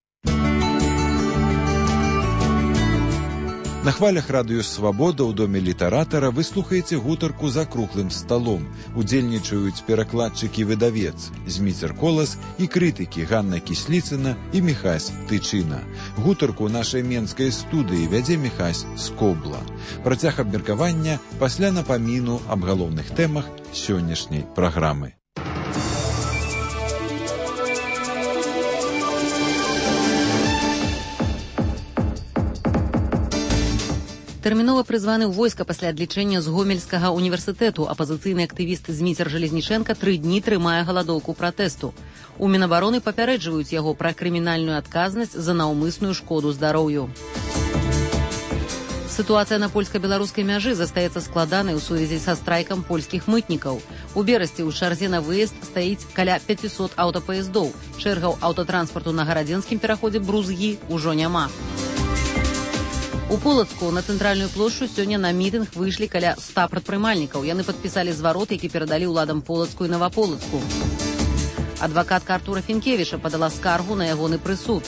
На хвалях радыё «Свабода» ў доме літаратара вы слухаеце гутарку за круглым сталом. Удзельнічаюць перакладчыкі-выдавец Зміцер Колас і крытыкі Ганна Кісліцына і Міхась Тычына. Гутарку нашай менскай студыі вядзе Міхась Скобла. Працяг абмеркавання пасля напаміну аб галоўных тэмах сённяшняй праграмы. Тэрмінова прызваны ў войска пасля адлічэння з Гомельскага універсітэту апазіцыйны актывіст Зміцер Жалезнічэнка 3 дні трымае галадоўку пратэсту. У Мінабароны папярэджваюць яго пра крымінальную адказнасць за наўмысную шкоду здароўю. Сітуацыя на польска-беларускай мяжы застаецца складанай у сувязі са страйкам польскіх мытнікаў. У Берасці ў чарзе на выезд стаіць каля 500 аўтапаездоў. Чэргаў аўтатранспарту на гарадзенскім пераходзе Брузгі ўжо няма. У Полацку на цэнтральную плошчу сёння на мітынг выйшлі каля 100 прадпрымальнікаў. Яны падпісалі зварот, які перадалі ўладам Полацку і Наваполацку. Адвакатка Артура Фінкевіча падала скаргу на ягоны прысуд.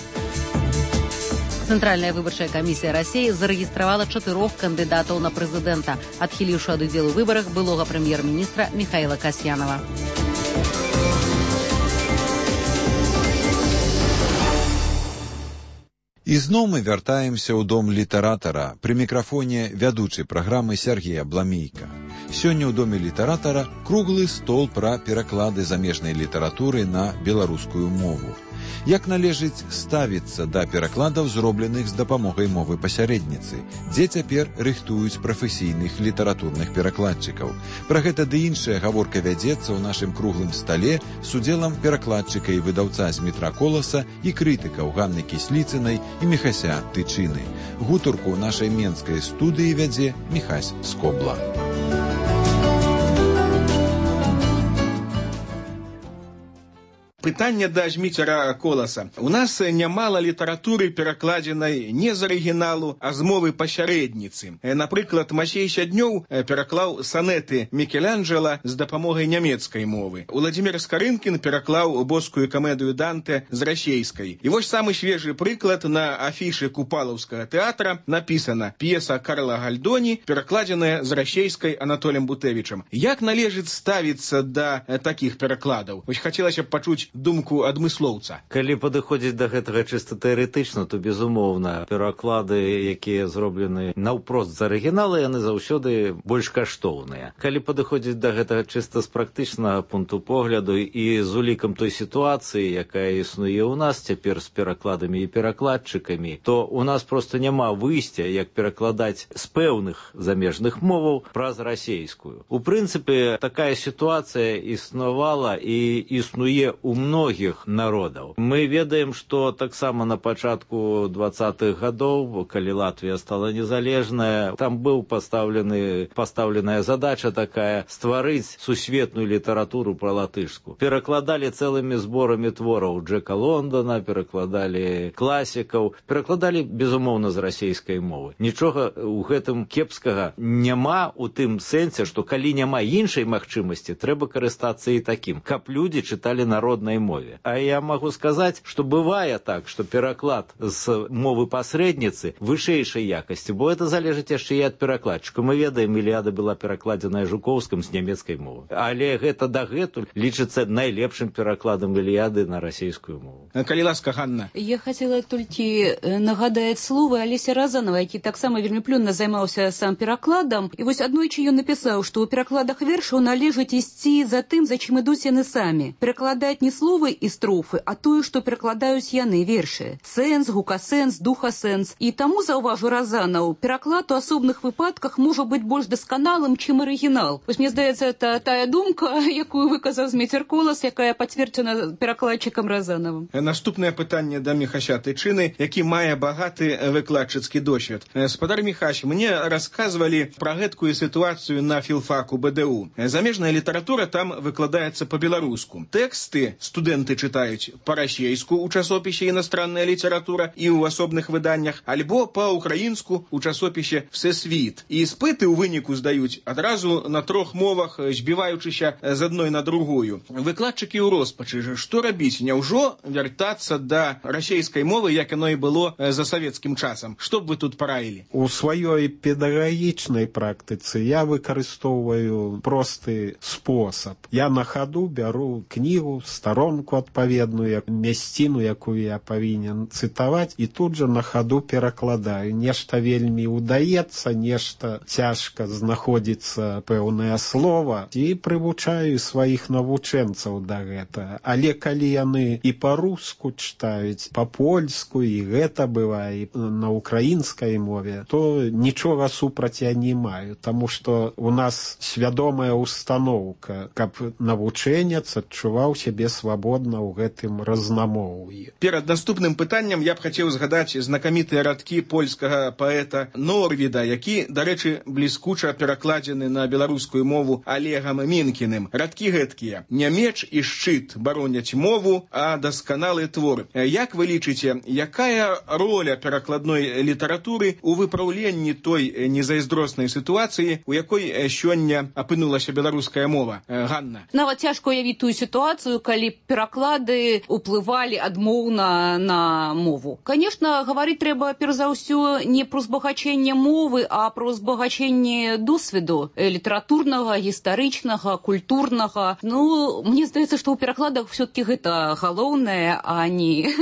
Цэнтральная выбарчая камісія Расіі зарэгістравала 4 кандыдатаў на прэзідэнта, адхіліўшы ад удзелу ў выбарах былога прэм'ер-міністра Міхаіла Касьянава. І зноў мы вяртаемся ў дом літаратара. Пры мікрафоне вядучы праграмы Сяргея Бламейка. Сёння ў доме літаратара круглы стол пра пераклады замежнай літаратуры на беларускую мову. Як належыць ставіцца да перакладаў, зробленых з дапамогай мовы пасярэдніцы? Дзе цяпер рыхтуюць прафесійных літаратурных перакладчыкаў? Пра гэта ды іншая гаворка вядзецца ў нашым круглым стале з удзелам перакладчыка і выдаўца Змітра Коласа і крытыкаў Ганны Кісліцынай і Міхася Тычыны. Гутарку нашай менскай студыі вядзе Міхась Скобла. Пытанне да Зміцера Коласа. У нас нямала літаратуры, перакладзенай не з арыгіналу, а з мовы пасярэдніцы. Напрыклад, Масей Сяднёў пераклаў санеты Мікеланджела з дапамогай нямецкай мовы. Уладзімір Скарынкін пераклаў боскую камедыю Данте з расейскай. І вось самы свежы прыклад: на афішы Купалаўскага тэатра напісана п'еса Карла Гальдоні, перакладзеная з расейскай Анатолем Бутэвічам. Як належыць ставіцца да такіх перакладаў? Вось хацелася б пачуць думку адмыслоўца. Калі падыходзіць да гэтага чыста тэарэтычна, то, безумоўна, пераклады, якія зроблены наўпрост з арыгінала, яны заўсёды больш каштоўныя. Калі падыходзіць да гэтага чыста з практычнага пункту погляду і з улікам той сітуацыі, якая існуе ў нас цяпер з перакладамі і перакладчыкамі, то у нас проста няма выйсця, як перакладаць з пэўных замежных моваў праз расейскую. У прынцыпе, такая сітуацыя існавала і існуе ў многіх народаў. Мы ведаем, што таксама на пачатку 20-х гадоў, калі Латвія стала незалежная, там быў пастаўленая задача такая — стварыць сусветную літаратуру пра латышскую. Перакладалі цэлымі зборамі твораў Джека Лондона, перакладалі класікаў, перакладалі, безумоўна, з расейскай мовы. Нічога ў гэтым кепскага няма ў тым сэнсе, што калі няма іншай магчымасці, трэба карыстацца і такім, каб людзі чыталі народнай мове. А я могу сказаць, што бывае так, што пераклад з мовы пасрэдніцы вышэйшай якасці, бо это залежыць яшчэ і ад перакладчыка. Мы ведаем, Іліада была перакладзеная Жукоўскім з нямецкай мовы. Але гэта дагэтуль лічыцца найлепшым перакладам Іліады на расійскую мову. Калі ласка, Ганна. Я хацела толькі нагадаць словы Алеся Разанова, які таксама вельмі плённа займаўся сам перакладам. І вось аднойчы ён напісаў, што ў перакладах вершаў належыць ісці за тым, за чым ідуць яны самі. Перакладаць не словы і строфы, а тое, што перакладаюць яны вершы. Сэнс, гукасэнс, духасэнс. І таму, заўважу Разанаў, пераклад у асобных выпадках можа быць больш дасканалым, чым арыгінал. Вось мне здаецца, это тая думка, якую выказаў Зміцер Колас, якая пацверджана перакладчыкам Разанавым. Наступнае пытанне да Міхася Тычыны, які мае багаты выкладчыцкі досвед. Спадар Міхась, мне расказвалі пра гэткую сітуацыю на філфаку БДУ. Замежная літаратура там выкладаецца па-беларуску. Тэксты студэнты чытаюць па-расейску ў часопісе «Іностранная літаратура» і ў асобных выданнях, альбо па-украінску ў часопісе «Всесвіт». І іспыты ў выніку здаюць адразу на 3 мовах, збіваючыся з адной на другую. Выкладчыкі ў роспачы, што рабіць? Няўжо вяртацца да расейскай мовы, як яно і было за савецкім часам? Што б вы тут параілі? У сваёй педагагічнай практыцы я выкарыстоўваю просты спосаб. Я на хаду бяру кнігу, старонку адпаведную, мясціну, якую я павінен цытаваць, і тут жа на хаду перакладаю. Нешта вельмі удаецца, нешта цяжка знаходзіцца пэўнае слова, і прывучаю сваіх навучэнцаў да гэтага. Але калі яны і па-руску чытаюць, па-польску, і гэта бывае, і на украінскай мове, то нічога супраць я не маю, таму што у нас свядомая установка, каб навучэнец адчуваў сябе свабодна ў гэтым разнамоўі. Перад наступным пытаннем я б хацеў згадаць знакамітыя радкі польскага паэта Норвіда, які, дарэчы, бліскуча перакладзены на беларускую мову Олегам Мінкіным. Радкі гэткія: «Не меч і шчыт бароняць мову, а дасканалы твор». Як вы лічыце, якая роля перакладной літаратуры ў выпраўленні той незайздроснай сітуацыі, у якой сёння апынулася беларуская мова? Ганна. Нават цяжка уявіць тую сітуацыю, калі пераклады ўплывалі адмоўна на мову. Конечно, гаварыць трэба перш за ўсё не пра збагачэнне мовы, а пра збагачэнне досведу літаратурнага, гістарычнага, культурнага. Ну, мне здаецца, што ў перакладах все-таки гэта галоўнае, а не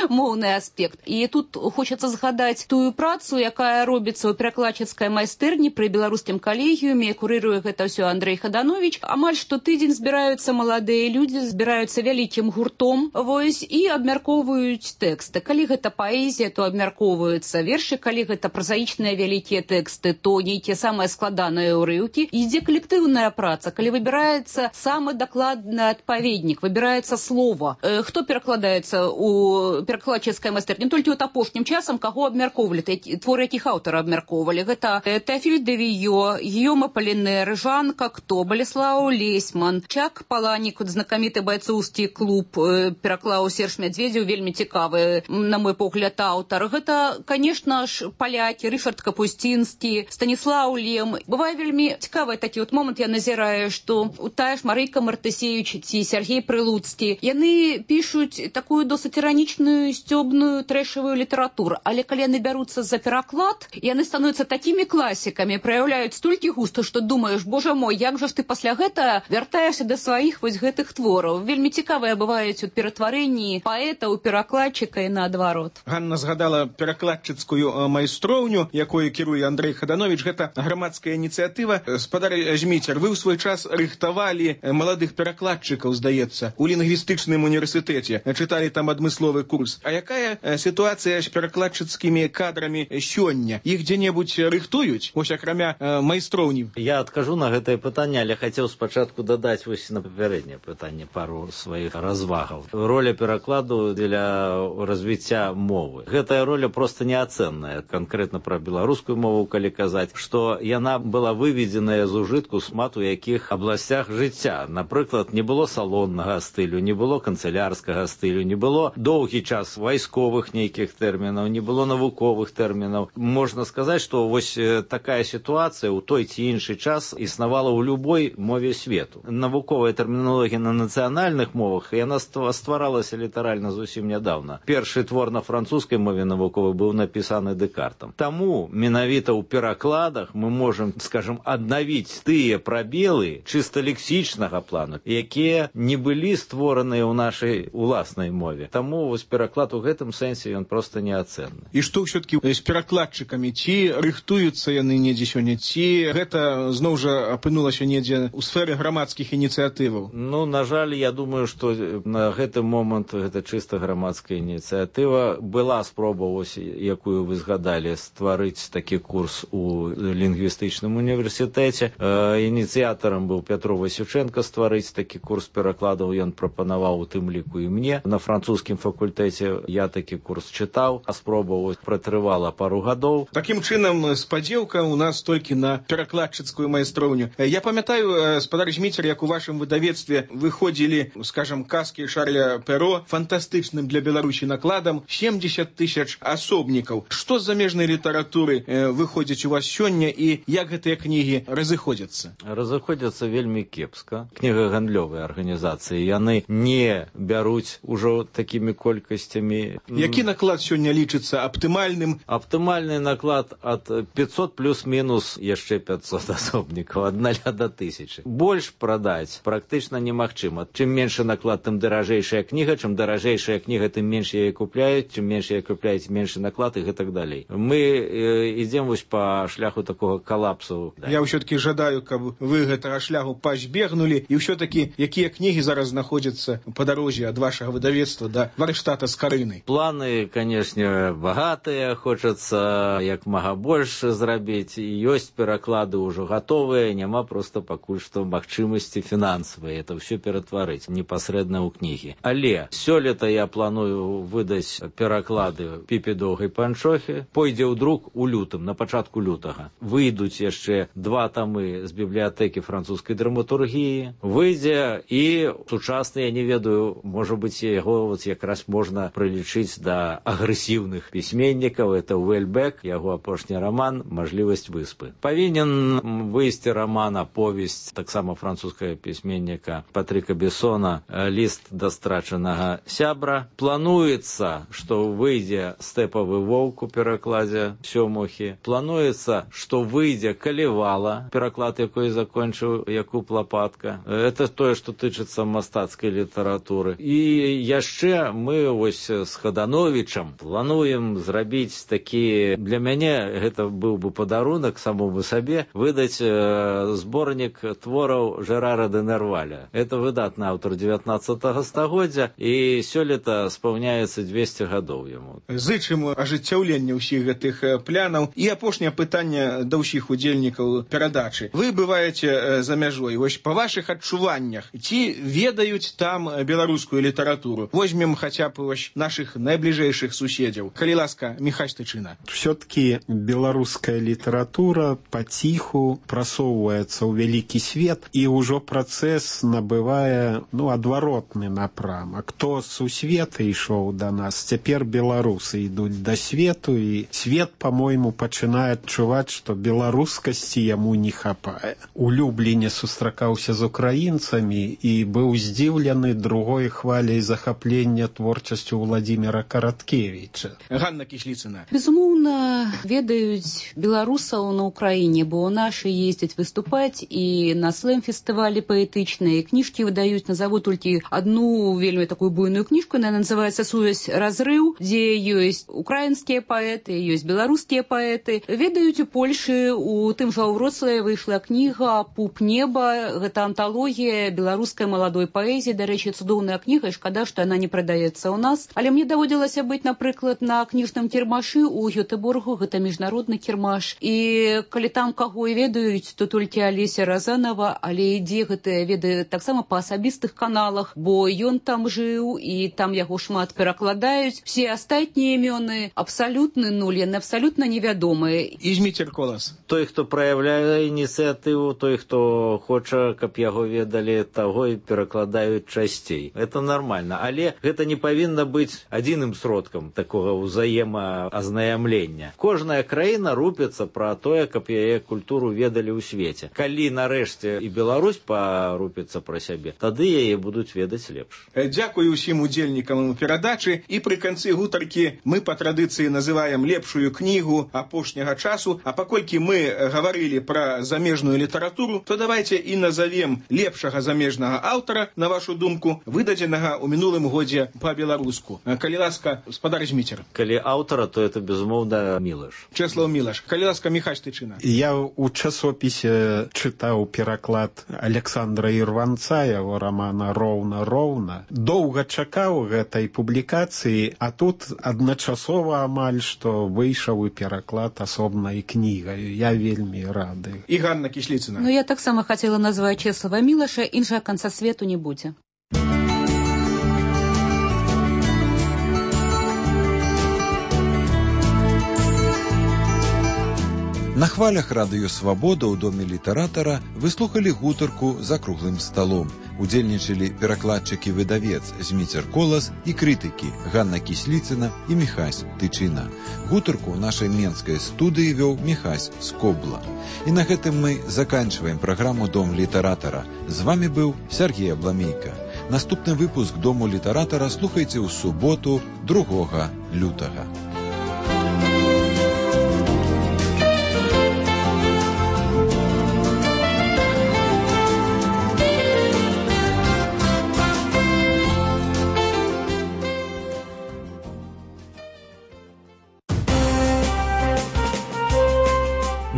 моўны аспект. І тут хочацца згадаць тую працу, якая робіцца ў перакладчыцкай майстэрні пры беларускім калегіуме, курыруе гэта ўсё Андрэй Хаданович. Амаль штотыдзень збіраюцца маладыя людзі, збіраюцца вялікім гуртом, вось, і абмяркоўваюць тэксты. Калі гэта паэзія, то абмяркоўваюцца вершы, калі гэта празаічныя вялікія тэксты, то нейкія самыя складаныя ўрыўкі. Ідзе калектыўная праца, калі выбіраецца самы дакладны адпаведнік, выбіраецца слова. Хто перакладаецца у перакладчыцкай майстэрні? Толькі от апошнім часам каго абмяркоўвалі, творы якіх аўтара абмяркоўвалі. Гэта Тэафіль де Віё, Гійом Апалінер, Жан Както, Балеслаў Лесьман, Чак Паланік, знакаміты байцоўскі клуб, пераклаў Серж Мядзведзеў, вельмі цікавы, на мой погляд, аўтар. Гэта, конечно ж, палякі, Рышард Капусцінскі, Станіслаў Лем. Бывае вельмі цікавы такі от момант, я назіраю, што тая ж Марыка Мартысевіч ці Сергей Прылуцкі, яны пішуць такую досыць іранічную, сцёбную, трэшавую літаратуру. Але калі яны бяруцца за пераклад, яны становяцца такімі класікамі, праяўляюць столькі густа, што думаеш, божа мой, як жа ж ты пасля гэта вяртаешся да сваіх вось гэтых твораў. Вельмі цікавыя бываюць у ператварэнні паэта ў перакладчыка і наадварот. Ганна згадала перакладчыцкую майстроўню, якою кіруе Андрэй Хаданович. Гэта грамадская ініцыятыва. Спадар Зміцер, вы ў свой час рыхтавалі маладых перакладчыкаў, здаецца, у лінгвістычным універсітэце. Чыталі там адмысловы курс. А якая сітуацыя з перакладчыцкімі кадрамі сёння? Іх дзе-небудзь рыхтуюць? Вось акрамя майстроўні. Я адкажу на гэтае пытанне, але хацеў спачатку дадаць вось на папярэдняе пытанне пару сваіх развагаў. Роля перакладу для развіцця мовы. Гэтая роля проста неацэнная. Канкрэтна пра беларускую мову, калі казаць, што яна была выведзеная з ужытку шмат у якіх абласцях жыцця. Напрыклад, не было салоннага стылю, не было канцылярскага стылю, не было доўгі час вайсковых нейкіх тэрмінаў, не было навуковых тэрмінаў. Можна сказаць, што вось такая сітуацыя ў той ці іншы час існавала ў любой мове свету. Навуковая тэрміналогія на нацыянальных мовах, яна стваралася літаральна зусім нядаўна. Першы твор на французскай мове навуковай быў напісаны Дэкартам. Таму менавіта ў перакладах мы можам, скажем, аднавіць тыя прабелы чыста лексічнага плану, якія не былі створаныя ў нашай уласнай мове. Таму вось пераклад у гэтым сэнсе ён проста неацэнны. І што ўсё-такі з перакладчыкамі? Ці рыхтуюцца яны недзе сёння, ці гэта зноў жа апынулася недзе ў сферы грамадскіх ініцыятываў? Ну, на жаль, я думаю, думаю, што на гэты момант гэта чыста грамадская ініцыятыва. Была спроба, ось, якую вы згадалі, стварыць такі курс у лінгвістычным універсітэце. Ініцыятарам быў Пятро Васюченко стварыць такі курс перакладаў. Ён прапанаваў у тым ліку і мне. На французскім факультэце я такі курс чытаў, а спроба пратрывала пару гадоў. Такім чынам, спадзеўка у нас толькі на перакладчыцкую майстроўню. Я памятаю, спадар Зміцер, як у вашым выдавецтве выходзілі, скажам, казкі Шарля Перо фантастычным для Беларусі накладам 70 000 асобнікаў. Што з замежнай літаратуры выходзіць у вас сёння і як гэтыя кнігі разыходзяцца? Разыходзяцца вельмі кепска. Кнігагандлёвыя арганізацыі, яны не бяруць ужо такімі колькасцямі. Які наклад сёння лічыцца аптымальным? Аптымальны наклад ад 500 плюс-мінус яшчэ 500 асобнікаў, ад 0 до 1000. Больш прадаць практычна немагчыма. Чым меншы наклад, тым даражэйшая кніга, чым даражэйшая кніга, тым менш яе купляюць, чым менш яе купляюць, меншы наклад і гэтак далей. Мы ідзем вось па шляху такога калапсу. Я ўсё-таки жадаю, каб вы гэтага шляху пазбегнулі, і ўсё-таки якія кнігі зараз знаходзяцца па дарозе ад вашага выдавецтва да варштата з Карынай? Планы, канешне, багатыя, хочацца як мага больш зрабіць, і ёсць пераклады ўжо гатовыя, няма проста пакуль што магчымасці фінансавыя это ўсё ператварыць непасрэдна ў кнігі. Але сёлета я планую выдаць пераклады Піпі доўгай панчохі, пойдзе ў друк у лютым, на пачатку лютага. Выйдуць яшчэ 2 тамы з бібліятэкі французскай драматургіі, выйдзе і сучасны, я не ведаю, можа быць, яго вот якраз можна прылічыць да агрэсіўных пісьменнікаў, это Уэльбек, яго апошні раман «Мажлівасць выспы». Павінен выйсці раман, аповесць таксама французскага пісьменніка Патрыка Бессона «Ліст да страчанага сябра». Плануецца, што выйдзе «Стэпавы воўк» у перакладзе Сёмухі. Плануецца, што выйдзе «Калівала», пераклад якой закончыў Якуб Лапатка. Это тое, што тычыцца мастацкай літаратуры. І яшчэ мы вось з Хадановічам плануем зрабіць такі, для мяне гэта быў бы падарунак самому сабе, выдаць зборнік твораў Жерара де Нерваля. Это выдатны аўтар 19 стагоддзя, і сёлета спаўняецца 200 гадоў яму. Зычым ажыццяўлення ўсіх гэтых планаў. І апошняе пытанне да ўсіх удзельнікаў перадачы. Вы бываеце за мяжой. Вось па вашых адчуваннях, ці ведаюць там беларускую літаратуру? Возьмем хаця б вось нашых найбліжэйшых суседзяў. Калі ласка, Міхась Тычына. Все-таки беларуская літаратура паціху прасоўваецца ў вялікі свет, і ўжо працэс набывае адваротны напрамак. Хто з сусвета ішоў да нас, цяпер беларусы ідуць да свету, і свет, по-мойму, пачынае адчуваць, што беларускасці яму не хапае. У Любліне сустракаўся з украінцамі і быў здзіўлены другой хваляй захаплення творчасцю Владимира Караткевіча. Ганна Кісліцына. Безумоўна, ведаюць беларусаў на Украіне, бо нашы ездзяць выступаць і на слэм-фестывалі паэтычныя. Кніжкі выдаюць, назову толькі одну вельмі такую буйную кніжку, яна называецца «Сувязь разрыў», дзе ёсць украінскія паэты, ёсць беларускія паэты. Ведаюць у Польшы, у тым жа Вроцлаве выйшла кніга «Пуп неба», гэта анталогія беларускай маладой паэзіі. Дарэчы, цудоўная кніга, і шкада, што яна не прадаецца ў нас. Але мне даводзілася быць, напрыклад, на кніжным кірмашы ў Гётэборгу, гэта міжнародны кірмаш. І калі там каго і ведаюць, то толькі Алеся Разанова, але ідзе гэта ведае таксама па асабістых каналах, бо ён там жыў, і там яго шмат перакладаюць. Все астатнія імёны абсалютны нуль, яны абсалютна невядомыя. І Зміцер Колас. Той, хто праяўляе ініцыятыву, той, хто хоча, каб яго ведалі, таго і перакладаюць часцей. Это нормально. Але гэта не павінна быць адзіным сродкам такога ўзаемаазнаямлення. Кожная краіна рупіцца пра тое, каб яе культуру ведалі ў свеце. Калі нарэшце і Беларусь парупіцца пра сябе, тады яе будуць ведаць лепш. Дзякую ўсім удзельнікам перадачы. І пры канцы гутаркі мы па традыцыі называем лепшую кнігу апошняга часу. А паколькі мы гаварылі пра замежную літаратуру, то давайте і назовем лепшага замежнага аўтара, на вашу думку, выдадзенага ў мінулым годзе па-беларуску. Калі ласка, спадар Зміцер. Калі аўтара, то это, безумоўна, Мілаш. Чэслаў Мілаш. Калі ласка, Міхась Тычына. Я ў часопісе чытаў пераклад Александра Ірванца, яго рамана роўна. Доўга чакаў гэтай публікацыі, а тут адначасова амаль што выйшаў і пераклад асобнай кнігай. Я вельмі рады. І Ганна Кісліцына. Ну, я таксама хацела назваць Чеслава Мілаша, іншага канца свету не будзе. На хвалях радыё «Свабода» ў доме літаратара вы слухалі гутарку за круглым сталом. Удзельнічалі перакладчыкі-выдавец Зміцер Колас і крытыкі Ганна Кісліцына і Міхась Тычына. Гутарку ў нашай менскай студыі вёў Міхась Скобла. І на гэтым мы заканчваем праграму «Дом літаратара». З вамі быў Сергей Абламейка. Наступны выпуск «Дому літаратара» слухайце ў суботу 2 лютага.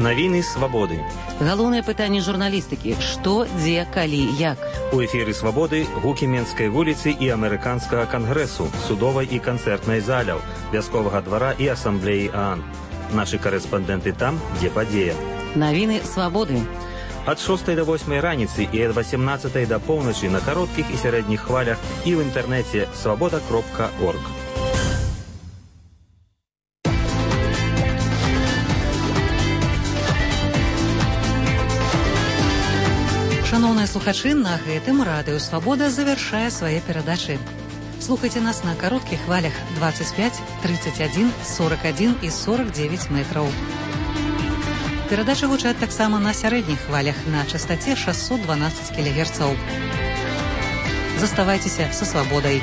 Навіны свабоды. Галоўнае пытанне журналістыкі: што, дзе, калі, як. У эфіры свабоды гукі Менскай вуліцы і амерыканскага кангрэсу, судовай і канцэртнай заляў, вясковага двара і асамблеі ААН. Нашы карэспандэнты там, дзе падзея. Навіны свабоды. Ад 6 до 8 раніцы і ад 18 до поўначы на кароткіх і сярэдніх хвалях і ў інтэрнэце свабода.орг. Шановныя слухачы, на гэтым радыё «Свабода» завяршае свае перадачы. Слухайце нас на кароткіх хвалях 25, 31, 41 і 49 метраў. Перадачы гучаць таксама на сярэдніх хвалях на частаце 612 кГц. Заставайцеся са свабодай.